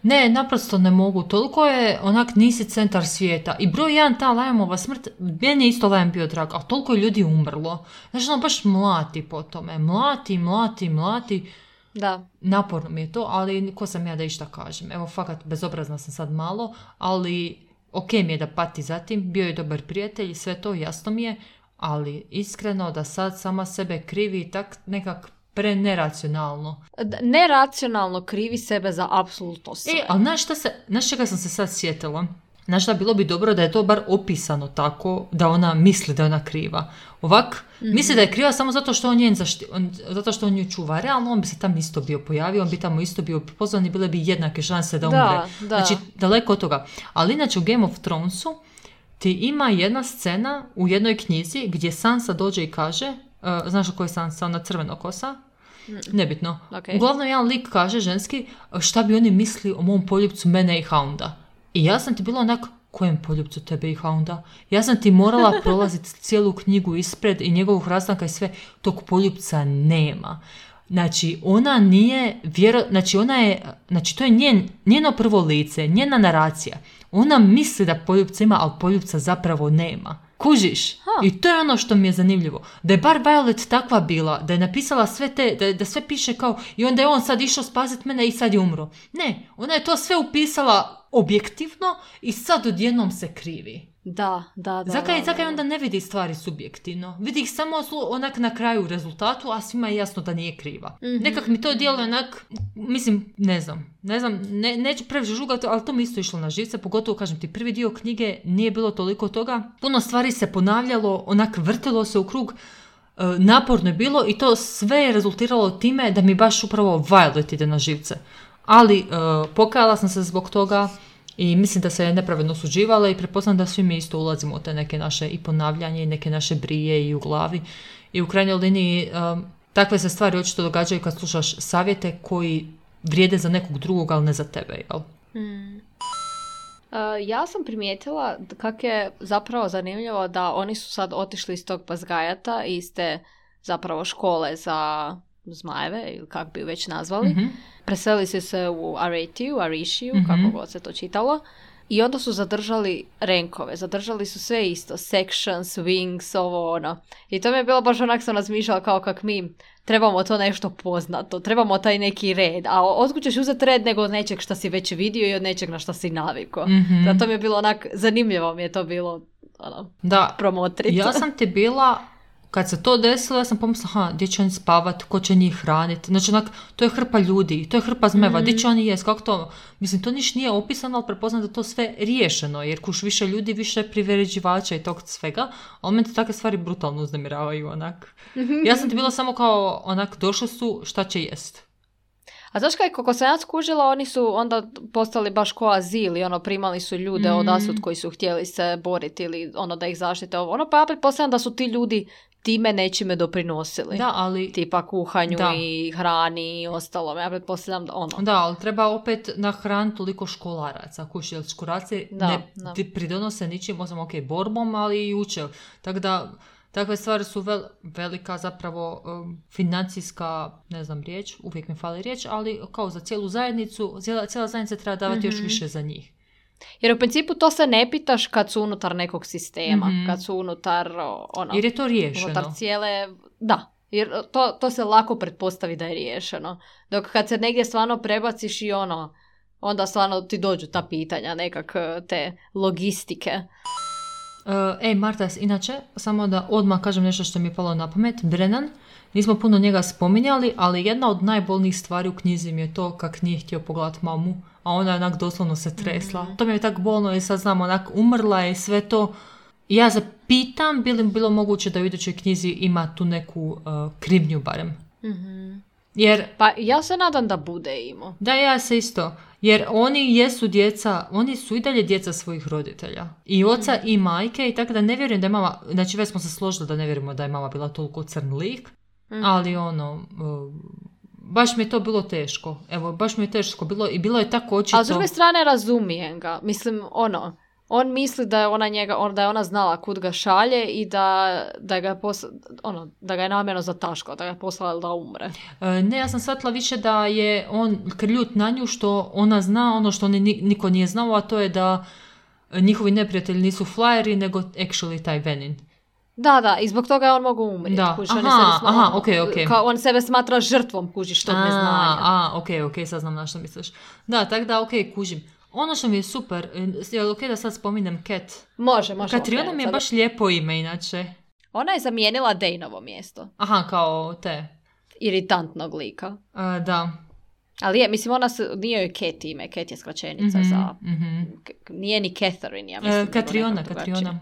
Ne, naprosto ne mogu. Toliko je onak nisi centar svijeta. I broj jedan, ta Liamova smrt, meni je isto Liam bio drag, a toliko je ljudi umrlo. Znači ono baš mlati po tome. Mlati, mlati, mlati. Da. Naporno mi je to, ali ko sam ja da išta kažem. Evo, fakat, bezobrazna sam sad malo, ali ok mi je da pati zatim, bio je dobar prijatelj, sve to jasno mi je, ali iskreno da sad sama sebe krivi tak nekak preneracionalno. Neracionalno krivi sebe za apsolutno sve. E, ali znaš šta se, znaš čega sam se sad sjetila? Znaš da bilo bi dobro da je to bar opisano tako da ona misli da je ona kriva. Ovak, mm-hmm. misli da je kriva samo zato što on njen zašti, on, zato što on nju čuva. Realno on bi se tamo isto bio pojavio, on bi tamo isto bio pozvan i bile bi jednake šanse da umre. Da, da. Znači, daleko od toga. Ali inače u Game of Thronesu ti ima jedna scena u jednoj knjizi gdje Sansa dođe i kaže, uh, znaš o kojoj Sansa, ona crveno kosa? Mm. Nebitno. Okay. Uglavnom jedan lik kaže ženski šta bi oni misli o mom poljupcu mene i Hounda. I ja sam ti bila onak, kojem poljupcu tebe i Hounda? Ja sam ti morala prolaziti cijelu knjigu ispred i njegovog rastanka i sve, tog poljupca nema. Znači, ona nije, vjero, znači, ona je, znači, to je njen, njeno prvo lice, njena naracija. Ona misli da poljupca ima, ali poljupca zapravo nema. Kužiš? Ha. I to je ono što mi je zanimljivo. Da je bar Violet takva bila, da je napisala sve te, da, da sve piše kao i onda je on sad išao spasiti mene i sad je umro. Ne, ona je to sve upisala objektivno i sad odjednom se krivi. Da, da, da. Zakaj, da, zakaj da. onda ne vidi stvari subjektivno? Vidi ih samo onak na kraju rezultatu, a svima je jasno da nije kriva. Mm-hmm. Nekak mi to djeluje onak, mislim, ne znam, ne znam, ne, neću previše žugati, ali to mi isto išlo na živce, pogotovo, kažem ti, prvi dio knjige nije bilo toliko toga, puno stvari se ponavljalo, onak vrtilo se u krug, e, naporno je bilo i to sve je rezultiralo time da mi baš upravo Violet ide na živce. Ali e, pokajala sam se zbog toga, i mislim da se je nepravedno osuđivala i pretpostavljam da svi mi isto ulazimo u te neke naše i ponavljanje i neke naše brije i u glavi. I u krajnjoj liniji um, takve se stvari očito događaju kad slušaš savjete koji vrijede za nekog drugog, ali ne za tebe, jel? Hmm. Uh, ja sam primijetila kako je zapravo zanimljivo da oni su sad otišli iz tog Bazgajata, iz te zapravo škole za zmajeve, ili kako bi već nazvali. Mm-hmm. Preselili su se u Aretiju, Arishiju, mm-hmm. kako god se to čitalo. I onda su zadržali renkove. Zadržali su sve isto. Sections, wings, ovo ono. I to mi je bilo baš onak sam razmišljala kao kak mi trebamo to nešto poznato. Trebamo taj neki red. A otkud ćeš uzeti red nego od nečeg što si već vidio i od nečeg na što si navikao. Mm-hmm. Da to mi je bilo onak, zanimljivo mi je to bilo ono, da, promotrica. Ja sam ti bila... Kad se to desilo, ja sam pomislila, ha, gdje će oni spavat, ko će njih hraniti. Znači, onak, to je hrpa ljudi, to je hrpa zmeva, mm-hmm. gdje će oni jest, kako to... Mislim, to niš nije opisano, ali prepoznam da to sve riješeno, jer kuš više ljudi, više priređivača i tog svega, ali meni takve stvari brutalno uznemiravaju, onak. Mm-hmm. Ja sam ti bila samo kao, onak, došli su, šta će jest. A znaš kaj, kako sam ja skužila, oni su onda postali baš ko azil i ono, primali su ljude mm. od asud koji su htjeli se boriti ili ono da ih zaštite ovo. Ono, pa ja pretpostavljam da su ti ljudi time nečime doprinosili. Da, ali... Tipa kuhanju da. I hrani i ostalo. Ja pretpostavljam da ono... Da, ali treba opet nahraniti toliko školaraca. Kući, jer školaraci da, ne da. pridonose ničim, osim ok, borbom, ali i uče. Tako da, takve stvari su vel, velika zapravo um, financijska, ne znam riječ, uvijek mi fali riječ, ali kao za cijelu zajednicu, cijela, cijela zajednica treba davati mm-hmm. još više za njih. Jer u principu to se ne pitaš kad su unutar nekog sistema, mm-hmm. kad su unutar ono... Jer je to riješeno. Unutar cijele... Da, jer to, to se lako pretpostavi da je riješeno. Dok kad se negdje stvarno prebaciš i ono, onda stvarno ti dođu ta pitanja, nekak te logistike. Uh, ej, Marta, inače, samo da odmah kažem nešto što mi je palo na pamet. Brennan, nismo puno njega spominjali, ali jedna od najbolnijih stvari u knjizi mi je to kak nije htio pogledati mamu, a ona onak doslovno se tresla. Mm-hmm. To mi je tako bolno i sad znam, onak umrla je sve to. I ja zapitam, bi li bilo moguće da u idućoj knjizi ima tu neku uh, krivnju barem. Mm-hmm. Jer, pa ja se nadam da bude imao. Da, ja se isto. Jer oni jesu djeca, oni su i dalje djeca svojih roditelja. I oca mm-hmm. i majke i tako da ne vjerujem da je mama, znači već smo se složili da ne vjerujemo da je mama bila toliko crn lik, mm-hmm. ali ono... Uh, baš mi je to bilo teško. Evo, baš mi je teško bilo i bilo je tako očito... A s druge strane razumijem ga. Mislim, ono, on misli da je ona njega, on, da je ona znala kud ga šalje i da, da, ga, je posla, ono, da ga je namjerno zataškao, da ga je poslala da umre. E, ne, ja sam shvatila više da je on krljut na nju što ona zna ono što ni, niko nije znao, a to je da njihovi neprijatelji nisu flyeri, nego actually taj Venin. Da, da, i zbog toga je on mogu umriti. Da, kuži, aha, on, sebe smatra, aha, ok, ok. Kao on sebe smatra žrtvom, kužiš, tog neznanja. A, ok, ok, sad znam na što misliš. Da, tako da, ok, kužim. Ono što mi je super, je li ok da sad spominjem Cat? Može, može. Katriona mi je baš lijepo ime, inače. Ona je zamijenila Dejnovo mjesto. Aha, kao te. Iritantnog lika. Uh, da. Ali je, mislim, ona se, nije joj Cat ime, Cat je skraćenica mm-hmm, za... Mm-hmm. K- nije ni Catherine, ja mislim. Uh, Katriona, Katriona.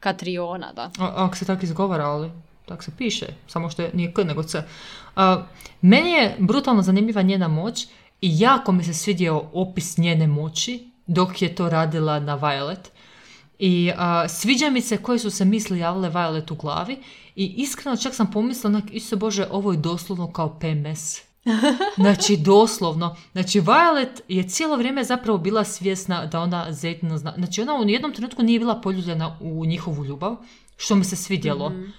Katriona, da. O, ako se tako izgovara, ali tako se piše, samo što je, nije K nego C. Uh, meni je brutalno zanimljiva njena moć i jako mi se svidio opis njene moći dok je to radila na Violet. I uh, sviđa mi se koji su se misli javile Violet u glavi i iskreno čak sam pomislila, Isuse Bože, ovo je doslovno kao P M S. Znači, doslovno. Znači, Violet je cijelo vrijeme zapravo bila svjesna da ona Zeytona zna. Znači, ona u nijednom trenutku nije bila poljubljena u njihovu ljubav, što mi se svidjelo. Mm-hmm.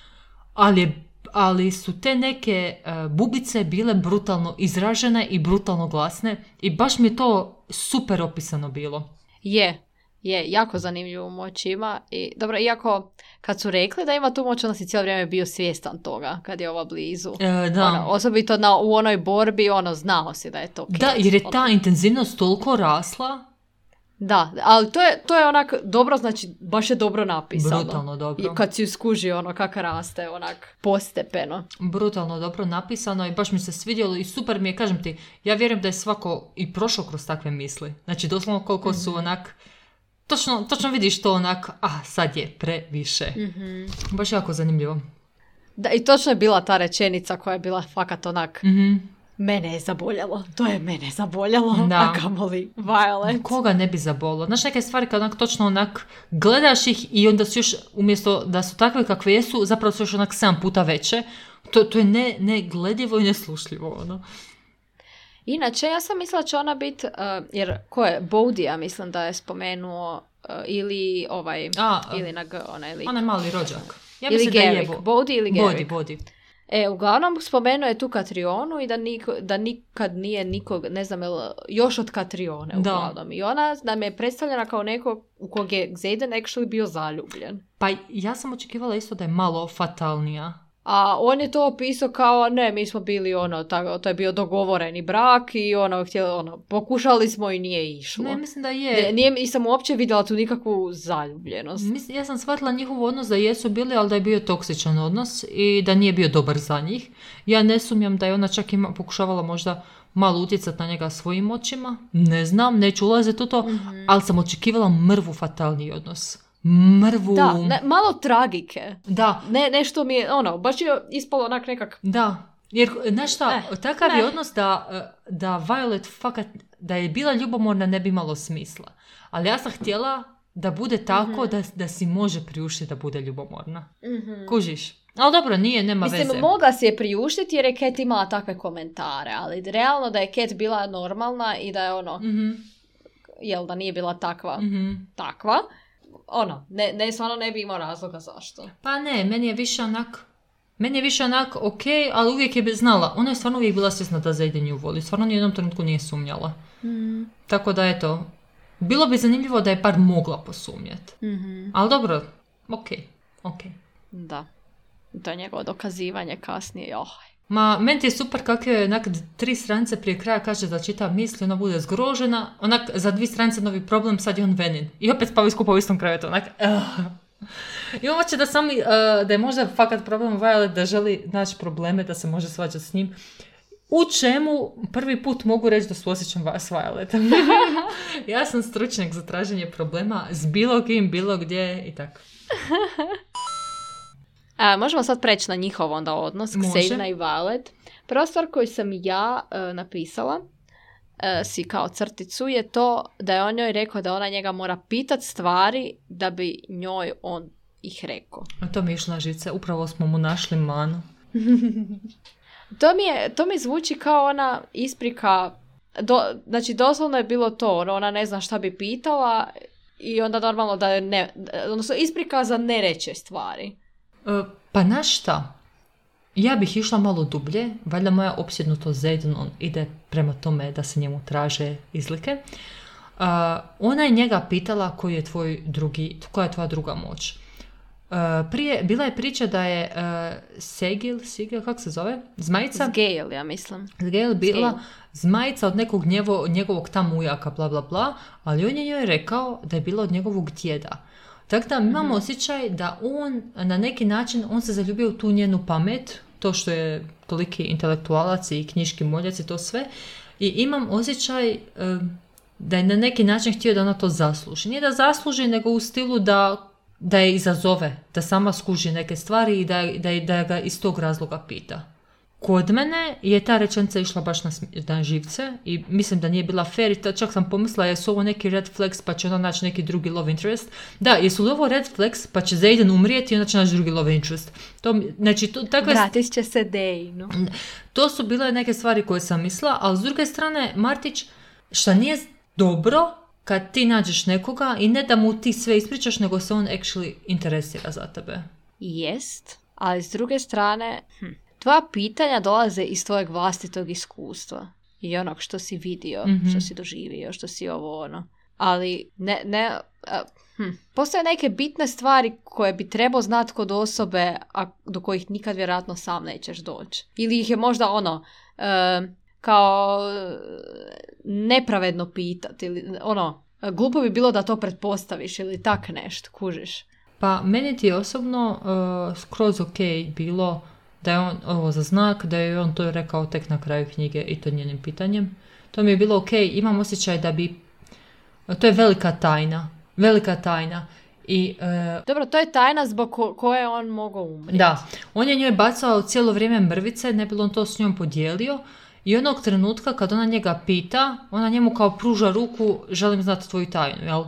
Ali, ali su te neke uh, bubice bile brutalno izražene i brutalno glasne i baš mi je to super opisano bilo. Je. Je, jako zanimljivu moć ima. I, dobro, iako kad su rekli da ima tu moć, onda si cijelo vrijeme bio svjestan toga kad je ova blizu. E, da. Ono, osobito na, u onoj borbi, ono, znao si da je to Cat. Da, jer je ta intenzivnost toliko rasla. Da, ali to je, to je onak dobro, znači baš je dobro napisano. Brutalno dobro. I kad si skuži ono kako raste, onak postepeno. Brutalno dobro napisano i baš mi se svidjelo i super mi je, kažem ti, ja vjerujem da je svako i prošao kroz takve misli. Znači doslovno koliko mm-hmm. su onak... Točno, točno vidiš to onak, ah, sad je previše. Mm-hmm. Baš jako zanimljivo. Da, i točno je bila ta rečenica koja je bila fakat onak, mm-hmm. mene je zaboljalo, to je mene zaboljalo, da. A kamoli Violet. Koga ne bi zabolilo? Znaš, neke stvari kad onak točno onak gledaš ih i onda su još, umjesto da su takve kakve jesu, zapravo su još onak sedam puta veće. To, to je ne, negledivo i neslušljivo, ono. Inače, ja sam mislila će ona biti, uh, jer ko je, Bodija mislim da je spomenuo, uh, ili ovaj, A, ili na G, onaj lik. Onaj mali rođak. Ja ili Garrick, je Bodhi ili Garrick. Bodi, Bodi. E, uglavnom spomenuo je tu Katrionu i da, niko, da nikad nije nikog, ne znam, još od Katrione uglavnom. I ona nam je predstavljena kao neko u kog je Xaden actually bio zaljubljen. Pa ja sam očekivala isto da je malo fatalnija. A on je to opisao kao, ne, mi smo bili ono, tako, to je bio dogovoreni brak i ono, htjeli, ono, pokušali smo i nije išlo. Ne, mislim da je. Ne, nije, nisam uopće vidjela tu nikakvu zaljubljenost. Mislim, ja sam shvatila njihov odnos da jesu bili, ali da je bio toksičan odnos i da nije bio dobar za njih. Ja ne sumnjam da je ona čak ima, pokušavala možda malo utjecati na njega svojim očima. Ne znam, neću ulaziti u to, mm-hmm. ali sam očekivala mrvu fatalni odnos. Mrvu. Da, ne, malo tragike. Da. Ne, nešto mi je, ono, baš je ispalo onak nekak... Da. Jer, znaš šta, Eh, takav ne. je odnos da, da Violet fakat, da je bila ljubomorna ne bi imalo smisla. Ali ja sam htjela da bude tako Mhm. da, da si može priuštiti da bude ljubomorna. Mhm. Kužiš? Ali dobro, nije, nema Mislim, veze. mogla si je priuštiti jer je Cat imala takve komentare, ali realno da je Cat bila normalna i da je ono, Mhm, jel da nije bila takva, mhm. takva, ono, ne, ne, stvarno ne bi imao razloga zašto. Pa ne, meni je više onak, meni je više onak ok, ali uvijek je znala. Ona je stvarno uvijek bila svjesna da Zayden nju voli. Stvarno ni u jednom trenutku nije sumnjala. Mm. Tako da eto, bilo bi zanimljivo da je bar mogla posumnjati. Mhm. Ali dobro, ok, ok. Da. To je njegovo dokazivanje kasnije. Oh. Ma, meni ti je super kako je onak tri stranice prije kraja kaže da čita misli, ona bude zgrožena, onak za dvije stranice novi problem, sad je on Venin. I opet spavaju skupa u istom krevetu, onak, uh. I ovo će da sami, uh, da je možda fakat problem Violet da želi naći probleme, da se može svađati s njim. U čemu prvi put mogu reći da suosjećam s Violetom. Ja sam stručnjak za traženje problema s bilo kim, bilo gdje i tako. A, možemo sad preći na njihov onda odnos, Može. Xavier i Violet. Prva stvar koju sam ja uh, napisala, uh, si kao crticu, je to da je on njoj rekao da ona njega mora pitat stvari da bi njoj on ih rekao. A to mi je išlo na živce, upravo smo mu našli manu. To mi, je, to mi zvuči kao ona isprika, do, znači doslovno je bilo to, ono, ona ne zna šta bi pitala i onda normalno da je ne, odnosno isprika za ne reće stvari. E, pa znaš šta? Ja bih išla malo dublje, valjda moja opsjednutost Zayden on ide prema tome da se njemu traže izlike. Uh, ona je njega pitala koji je tvoj drugi, koja je tvoja druga moć. Uh, prije, bila je priča da je uh, Segil, Sigil, kako se zove? Zmajica? Sgale, ja mislim. Sgale bila Sgale. zmajica od nekog njevo, njegovog tamo ujaka, bla bla bla, ali on je njoj rekao da je bila od njegovog djeda. Tako da imamo mm-hmm. osjećaj da on na neki način, on se zaljubio u tu njenu pamet, to što je toliki intelektualac i knjiški moljac i to sve, i imam osjećaj um, da je na neki način htio da ona to zasluži. Nije da zasluži, nego u stilu da, da je izazove, da sama skuži neke stvari i da, da, da ga iz tog razloga pita. Kod mene je ta rečenica išla baš na, na živce i mislim da nije bila fair i čak sam pomislila jesu ovo neki red flags pa će ona naći neki drugi love interest. Da, jesu li ovo red flags pa će Zayden umrijeti i onda će naći drugi love interest. To, znači, to, takve, Vratit će se Dejnu. to su bile neke stvari koje sam mislila, ali s druge strane, Martić, šta nije dobro kad ti nađeš nekoga i ne da mu ti sve ispričaš, nego se on actually interesira za tebe. Jest, ali s druge strane, hm, tvoja pitanja dolaze iz tvojeg vlastitog iskustva i onog što si vidio, mm-hmm. što si doživio, što si ovo ono. Ali ne, ne, a, hm, postoje neke bitne stvari koje bi trebao znati kod osobe, a do kojih nikad vjerojatno sam nećeš doći. Ili ih je možda ono, e, kao nepravedno pitati, ili ono, glupo bi bilo da to pretpostaviš ili tak nešto, kužiš. Pa meni ti je osobno uh, skroz ok bilo da je on ovo za znak, da je on to rekao tek na kraju knjige i to njenim pitanjem. To mi je bilo ok, imam osjećaj da bi, to je velika tajna, velika tajna. I, uh, Dobro, to je tajna zbog ko- koje on mogao umrijeti. Da, on je njoj bacao cijelo vrijeme mrvice, ne bi on to s njom podijelio i onog trenutka kad ona njega pita, ona njemu kao pruža ruku, želim znati tvoju tajnu, jel?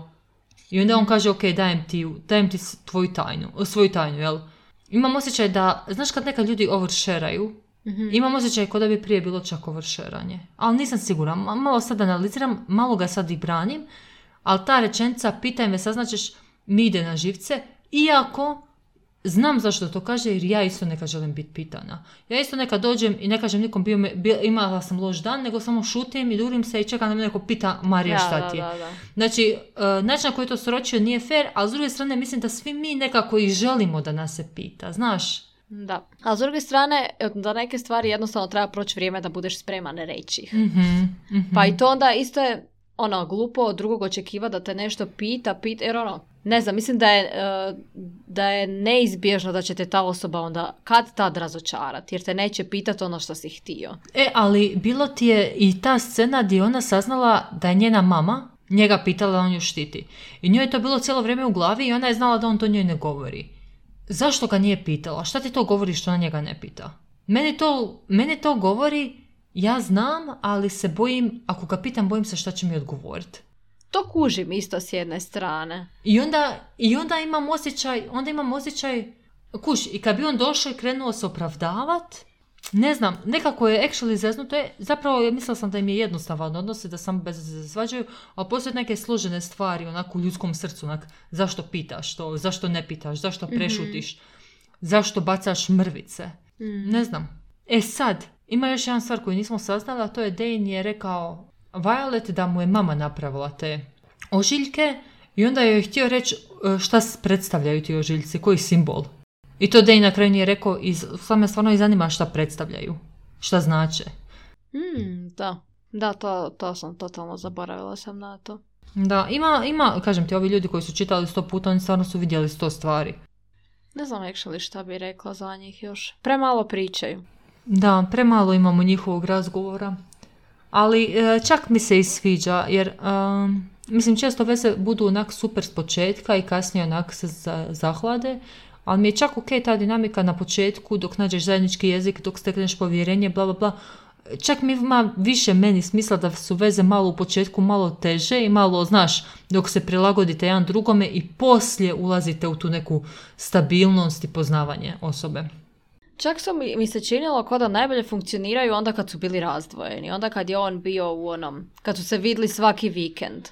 I onda on kaže, ok, dajem ti, dajem ti tvoju tajnu, svoju tajnu, jel? Imam osjećaj da, znaš kad neka ljudi oversharaju, mm-hmm. imam osjećaj kao da bi prije bilo čak oversharanje. Ali nisam sigurna, malo sad analiziram, malo ga sad i branim, ali ta rečenica, pitaj me, saznaćeš, mi ide na živce, iako znam zašto to kaže, jer ja isto neka želim biti pitana. Ja isto neka dođem i ne kažem nikom bio me, bio, imala sam loš dan, nego samo šutim i durim se i čekam da me neko pita, Marija, šta da, ti je? da, da. Znači, uh, način na koji to sročio nije fair, ali s druge strane mislim da svi mi nekako i želimo da nas se pita, znaš? Da, a s druge strane, da neke stvari jednostavno treba proći vrijeme da budeš spreman reći ih. Mm-hmm, mm-hmm. Pa i to onda isto je ono, glupo od drugog očekiva da te nešto pita, pita, jer ono, ne znam, mislim da je, uh, da je neizbježno da će te ta osoba onda kad tad razočarati, jer te neće pitati ono što si htio. E, ali bilo ti je i ta scena gdje ona saznala da je njena mama njega pitala da on ju štiti. I njoj je to bilo cijelo vrijeme u glavi i ona je znala da on to njoj ne govori. Zašto ga nije pitala? Šta ti to govori što ona njega ne pita? Meni to, meni to govori, ja znam, ali se bojim, ako ga pitam, bojim se šta će mi odgovoriti. To kužim isto s jedne strane. I onda, i onda imam osjećaj, onda imam osjećaj, kuš, i kad bi on došao i krenuo se opravdavat, ne znam, nekako je actually zeznuto, je, zapravo mislila sam da im je jednostavan odnos i da samo bez veze se svađaju, ali postoje neke složene stvari onako u ljudskom srcu, onak, zašto pitaš to, zašto ne pitaš, zašto prešutiš, mm-hmm. zašto bacaš mrvice, mm. ne znam. E sad, ima još jedan stvar koju nismo saznali, a to je Dane je rekao Violet da mu je mama napravila te ožiljke i onda je htio reći šta predstavljaju ti ožiljci, koji simbol. I to Dane na kraju nije rekao i sad me stvarno i zanima šta predstavljaju, šta znače. Mm, da, da to, to sam totalno zaboravila sam na to. Da, ima, ima, kažem ti, ovi ljudi koji su čitali sto puta, oni stvarno su vidjeli sto stvari. Ne znam actually šta bi rekla za njih još. Premalo pričaju. Da, premalo imamo njihovog razgovora. Ali čak mi se i sviđa, jer um, mislim često veze budu onak super s početka i kasnije onak se zahlade, ali mi je čak ok ta dinamika na početku dok nađeš zajednički jezik, dok stekneš povjerenje, bla bla bla. Čak mi ima više meni smisla da su veze malo u početku malo teže i malo, znaš, dok se prilagodite jedan drugome i poslije ulazite u tu neku stabilnost i poznavanje osobe. Čak su mi, mi se činilo kao da najbolje funkcioniraju onda kad su bili razdvojeni. Onda kad je on bio u onom, kad su se vidli svaki vikend.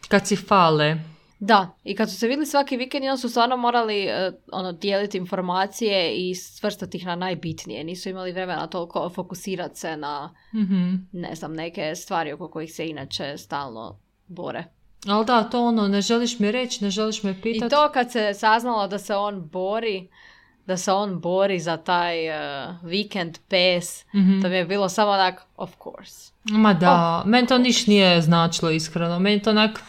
Kad si fale. Da, i kad su se vidli svaki vikend i onda su stvarno morali uh, ono, dijeliti informacije i svrstati ih na najbitnije. Nisu imali vremena toliko fokusirati se na, mm-hmm. ne znam, neke stvari oko kojih se inače stalno bore. Ali da, to ono, ne želiš mi reći, ne želiš me pitati. I to kad se saznalo da se on bori, da se on bori za taj uh, weekend pass, mm-hmm. to mi je bilo samo onak, of course. Ma da, oh. Meni to niš nije značilo iskreno, meni to onak,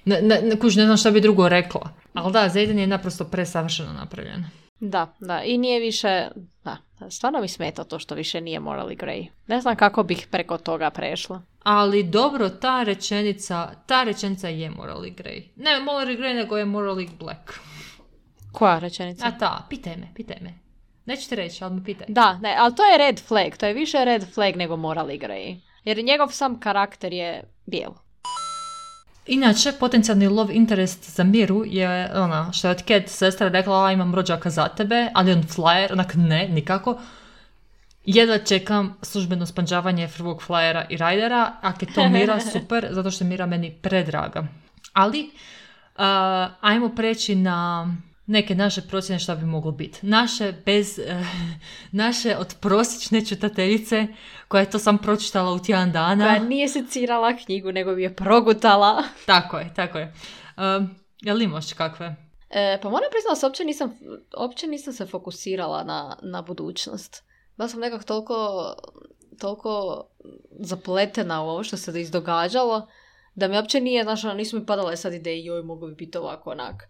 ne, ne, ne, kuž, ne znam šta bi drugo rekla. Ali da, Zayden je naprosto presavršeno napravljen. Da, da, i nije više, da, stvarno mi smeta to što više nije Morally Grey. Ne znam kako bih preko toga prešla. Ali dobro, ta rečenica, ta rečenica je Morally Grey. Ne Morally Grey, nego je Morally Black. Koja rečenica? A ta, pitaj me, pitaj me. Neću ti reći, ali me pitaj. Da, ne, ali to je red flag, to je više red flag nego Morally Grey. Jer njegov sam karakter je bijel. Inače, potencijalni love interest za Miru je ona, što je od Cat sestra rekla, a imam rođaka za tebe, ali on flyer, onak ne, nikako. Jedva čekam službeno spanđavanje prvog flyera i rajdera, ako je to Mira, super, zato što je Mira meni predraga. Ali, uh, ajmo preći na neke naše procjene šta bi moglo biti. Naše bez, uh, naše od prosječne čitateljice, koja je to sam pročitala u tjedan dana. Koja nije secirala knjigu, nego bi je progutala. Tako je, tako je. Uh, jel imaš kakve? E, pa moram priznati da se uopće nisam, uopće nisam se fokusirala na, na budućnost. Bila sam nekako toliko, toliko zapletena u ovo što se izdogađalo, da mi uopće nije, znaš, nisu mi padale sad ideje, joj, mogu bi biti ovako, onak.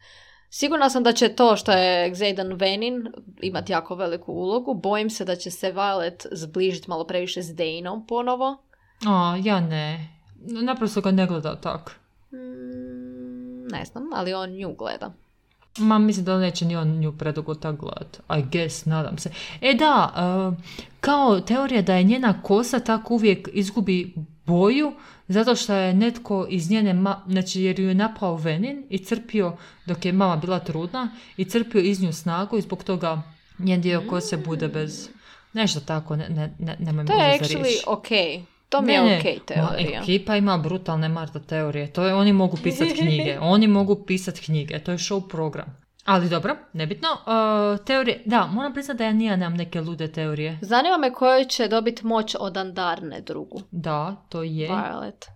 Sigurna sam da će to što je Xaden Venin imati jako veliku ulogu. Bojim se da će se Violet zbližiti malo previše s Daneom ponovo. A, ja ne. Naprosto ga ne gleda tak. Mm, ne znam, ali on nju gleda. Ma, mislim da neće ni on nju predugo tak gledat. I guess, nadam se. E da, uh, kao teorija da je njena kosa tako uvijek izgubi boju, zato što je netko iz njene, ma- znači jer ju je napao Venin i crpio, dok je mama bila trudna, i crpio iz nju snagu i zbog toga njen dio kose bude bez, nešto tako, ne, ne, ne, nemoj to je actually ok. To mi je ne, ok teorija. Ma, ekipa ima brutalne Marta teorije. To je, oni mogu pisati knjige. Oni mogu pisati knjige. To je show program. Ali dobro, nebitno. Uh, teorije, da, moram priznati da ja nije nemam neke lude teorije. Zanima me koji će dobiti moć od Andarne drugu. Da, to je. Violet.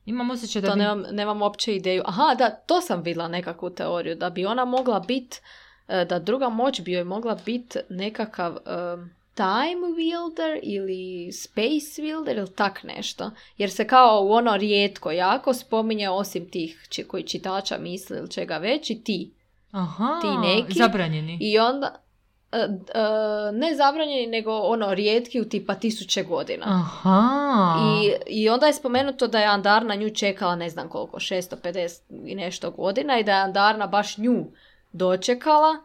Imam osjećaj da to bi... nemam, nemam uopće ideju. Aha, da, to sam vidjela nekakvu teoriju. Da bi ona mogla biti, da druga moć bi joj mogla biti nekakav... Um, time wielder ili space wielder ili tak nešto. Jer se kao u ono rijetko jako spominje osim tih či, koji čitača misle ili čega već i ti. Aha, ti neki. Zabranjeni. I onda, uh, uh, ne zabranjeni, nego ono rijetki u tipa tisuće godina. Aha. I, I onda je spomenuto da je Andarna nju čekala ne znam koliko, šesto pedeset i nešto godina i da je Andarna baš nju dočekala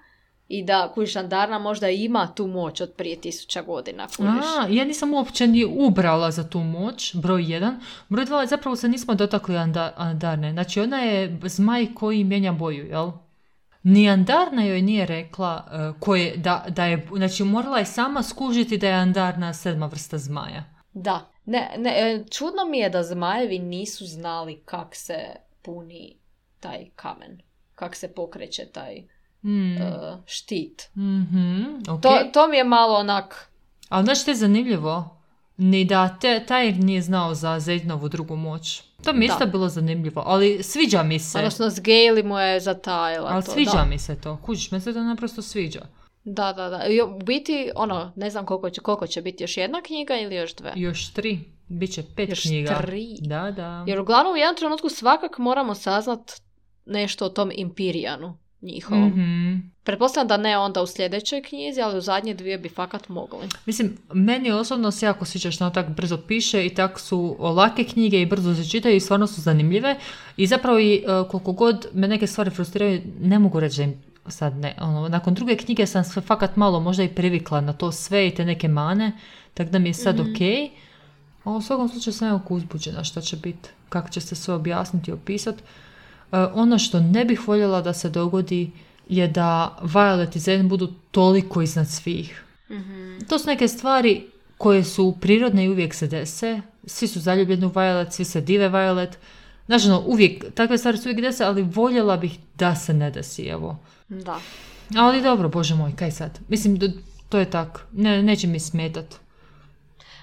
i da kužiš Andarna možda ima tu moć od prije tisuća godina. Kužiš. A, ja nisam uopće ni ubrala za tu moć, broj jedan. Broj dva, zapravo se nismo dotakli Anda- Andarne. Znači, ona je zmaj koji mijenja boju, jel? Ni Andarna joj nije rekla uh, koje, da, da je, znači morala je sama skužiti da je Andarna sedma vrsta zmaja. Da. Ne, ne, čudno mi je da zmajevi nisu znali kak se puni taj kamen. Kak se pokreće taj mm. uh, štit. Mm-hmm, okay. to, to mi je malo onak... Ali znaš što je zanimljivo? Ni da te, taj nije znao za Zednovu drugu moć. To mi je isto bilo zanimljivo, ali sviđa mi se. Odnosno, s Gejli mu je zatajila ali to. sviđa da. mi se to. Kužiš, me se to naprosto sviđa. Da, da, da. I u biti, ono, ne znam koliko će, koliko će biti, još jedna knjiga ili još dve? Još tri. Biće pet još knjiga. Još tri? Da, da. Jer uglavnom u jednom trenutku svakak moramo saznat nešto o tom Imperijanu njihovom. Mm-hmm. Pretpostavljam da ne onda u sljedećoj knjizi, ali u zadnje dvije bi fakat mogli. Mislim, meni osobno se jako sviđa što ono tako brzo piše i tako su lake knjige i brzo se čitaju i stvarno su zanimljive. I zapravo i uh, koliko god me neke stvari frustriraju, ne mogu reći da im sad ne. Ono, nakon druge knjige sam sve fakat malo možda i privikla na to sve i te neke mane, tako da mi je sad mm-hmm. ok. A u svakom slučaju sam jako uzbuđena šta će biti, kako će se sve objasniti i opisati. Uh, ono što ne bih voljela da se dogodi je da Violet i Zen budu toliko iznad svih. Mm-hmm. To su neke stvari koje su prirodne i uvijek se dese. Svi su zaljubljeni u Violet, svi se dive Violet. Znači, no, uvijek, takve stvari su uvijek dese, ali voljela bih da se ne desi, evo. Da. Ali dobro, bože moj, kaj sad? Mislim, to je tako. Ne, neće mi smetat.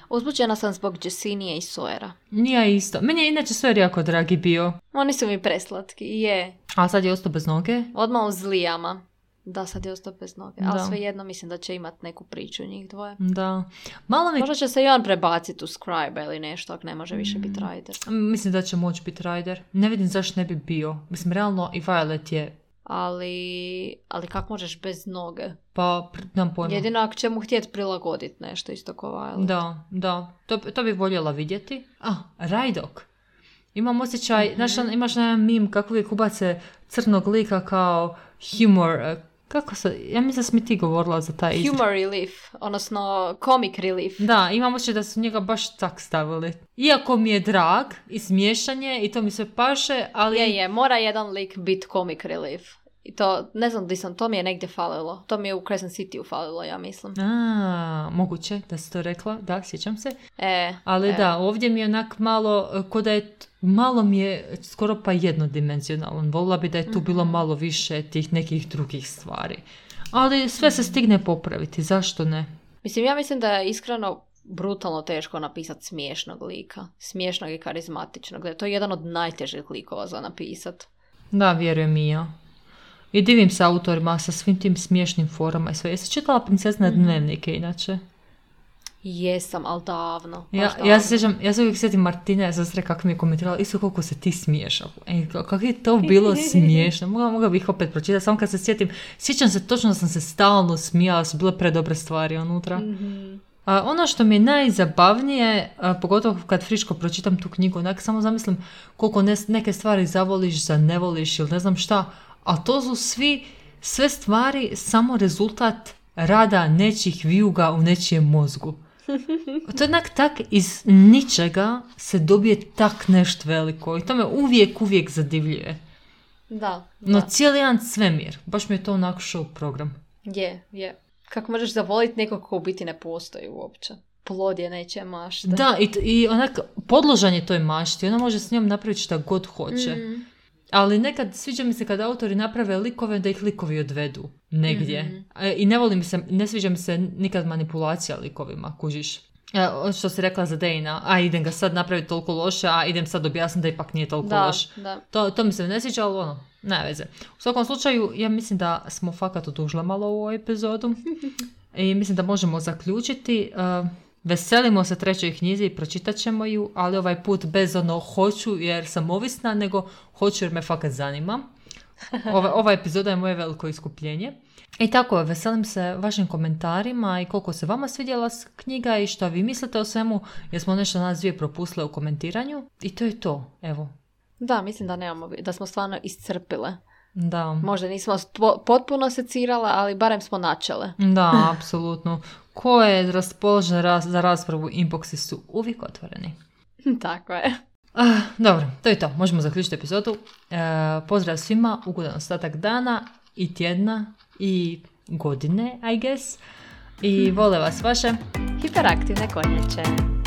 Uzbuđena sam zbog Jessinije i Sawyera. Nije isto. Meni je inače Sawyer jako dragi bio. Oni su mi preslatki, je. A sad je ostao bez noge? Odmah u zlijama. Da, sad je ostao bez noge. Da. Ali svejedno mislim da će imat neku priču njih dvoje. Da. Malo mi... Možda će se i on prebaciti u Scribe ili nešto, ako ne može više biti Rider. Mislim da će moći biti Rider. Ne vidim zašto ne bi bio. Mislim, realno i Violet je... Ali, ali kako možeš bez noge? Pa, nam pojma. Jedino ako će mu htjeti prilagoditi nešto isto ko Violet. Da, da. To, to bi voljela vidjeti. A, Rydok. Imam osjećaj, mm-hmm. znaš, imaš jedan meme kako uvijek ubace crnog lika kao humor. Kako se, ja mislim da si mi ti govorila za taj izraz. Humor relief, odnosno comic relief. Da, imam osjećaj da su njega baš tak stavili. Iako mi je drag i smiješanje i to mi se paše, ali... Je, je, mora jedan lik biti comic relief. I to, ne znam di sam, to mi je negdje falilo. To mi je u Crescent City falilo, ja mislim. A, moguće da si to rekla, da, sjećam se. E, ali e. da, ovdje mi je onak malo, ko da je, malo mi je skoro pa jednodimenzionalan. Volila bi da je tu mm-hmm. bilo malo više tih nekih drugih stvari. Ali sve se stigne popraviti, zašto ne? Mislim, ja mislim da je iskreno brutalno teško napisati smiješnog lika. Smiješnog i karizmatičnog. Da je to jedan od najtežih likova za napisati. Da, vjerujem i ja. I divim se autorima sa svim tim smiješnim forama i sve. Jesi čitala Princezne mm-hmm. dnevnike inače? Jesam, ali davno. Ja, davno. ja se sjećam, ja se uvijek sjetim Martine, sestre, kako mi je komentirala, isto koliko se ti smiješ. E, kako je to bilo smiješno. Mogla, mogla bih opet pročitati, samo kad se sjetim. Sjećam se točno da sam se stalno smijala, su bile predobre stvari unutra. Mm-hmm. A, ono što mi je najzabavnije, a, pogotovo kad friško pročitam tu knjigu, onak samo zamislim koliko ne, neke stvari zavoliš, zanevoliš ili ne znam šta, a to su svi, sve stvari samo rezultat rada nečih vijuga u nečijem mozgu. To je onak tak iz ničega se dobije tak nešto veliko i to me uvijek, uvijek zadivljuje. Da. No da. cijeli jedan svemir, baš mi je to onako show program. Je, je. Kako možeš zavoliti nekog ko u biti ne postoji uopće. Plod je nečija mašta. Da, i, i onak podložan je toj mašti, ona može s njom napraviti šta god hoće. Mm. Ali nekad sviđa mi se kada autori naprave likove da ih likovi odvedu negdje. Mm-hmm. I ne volim se, ne sviđa mi se nikad manipulacija likovima, kužiš. Što si rekla za Dejna, a idem ga sad napraviti toliko loše, a idem sad objasniti da ipak nije toliko da, loš. Da. To, to mi se ne sviđa, ali ono, ne veze. U svakom slučaju, ja mislim da smo fakat odužile malo u ovu epizodu. I mislim da možemo zaključiti. Uh, Veselimo se trećoj knjizi i pročitat ćemo ju, ali ovaj put bez ono hoću jer sam ovisna, nego hoću jer me fakat zanima. Ova, ova epizoda je moje veliko iskupljenje. I tako, veselim se vašim komentarima i koliko se vama svidjela knjiga i što vi mislite o svemu, jer smo nešto nas dvije propustile u komentiranju. I to je to, evo. Da, mislim da nemamo, da smo stvarno iscrpile Da. Možda nismo spo- potpuno secirala, ali barem smo načele. Da, apsolutno. Ko je raspoložen raz- za raspravu, inboxi su uvijek otvoreni. Tako je. Ah, dobro, to je to. Možemo zaključiti epizodu. E, pozdrav svima, ugodan ostatak dana i tjedna i godine, I guess. I vole vas vaše Hiperaktivne konjače.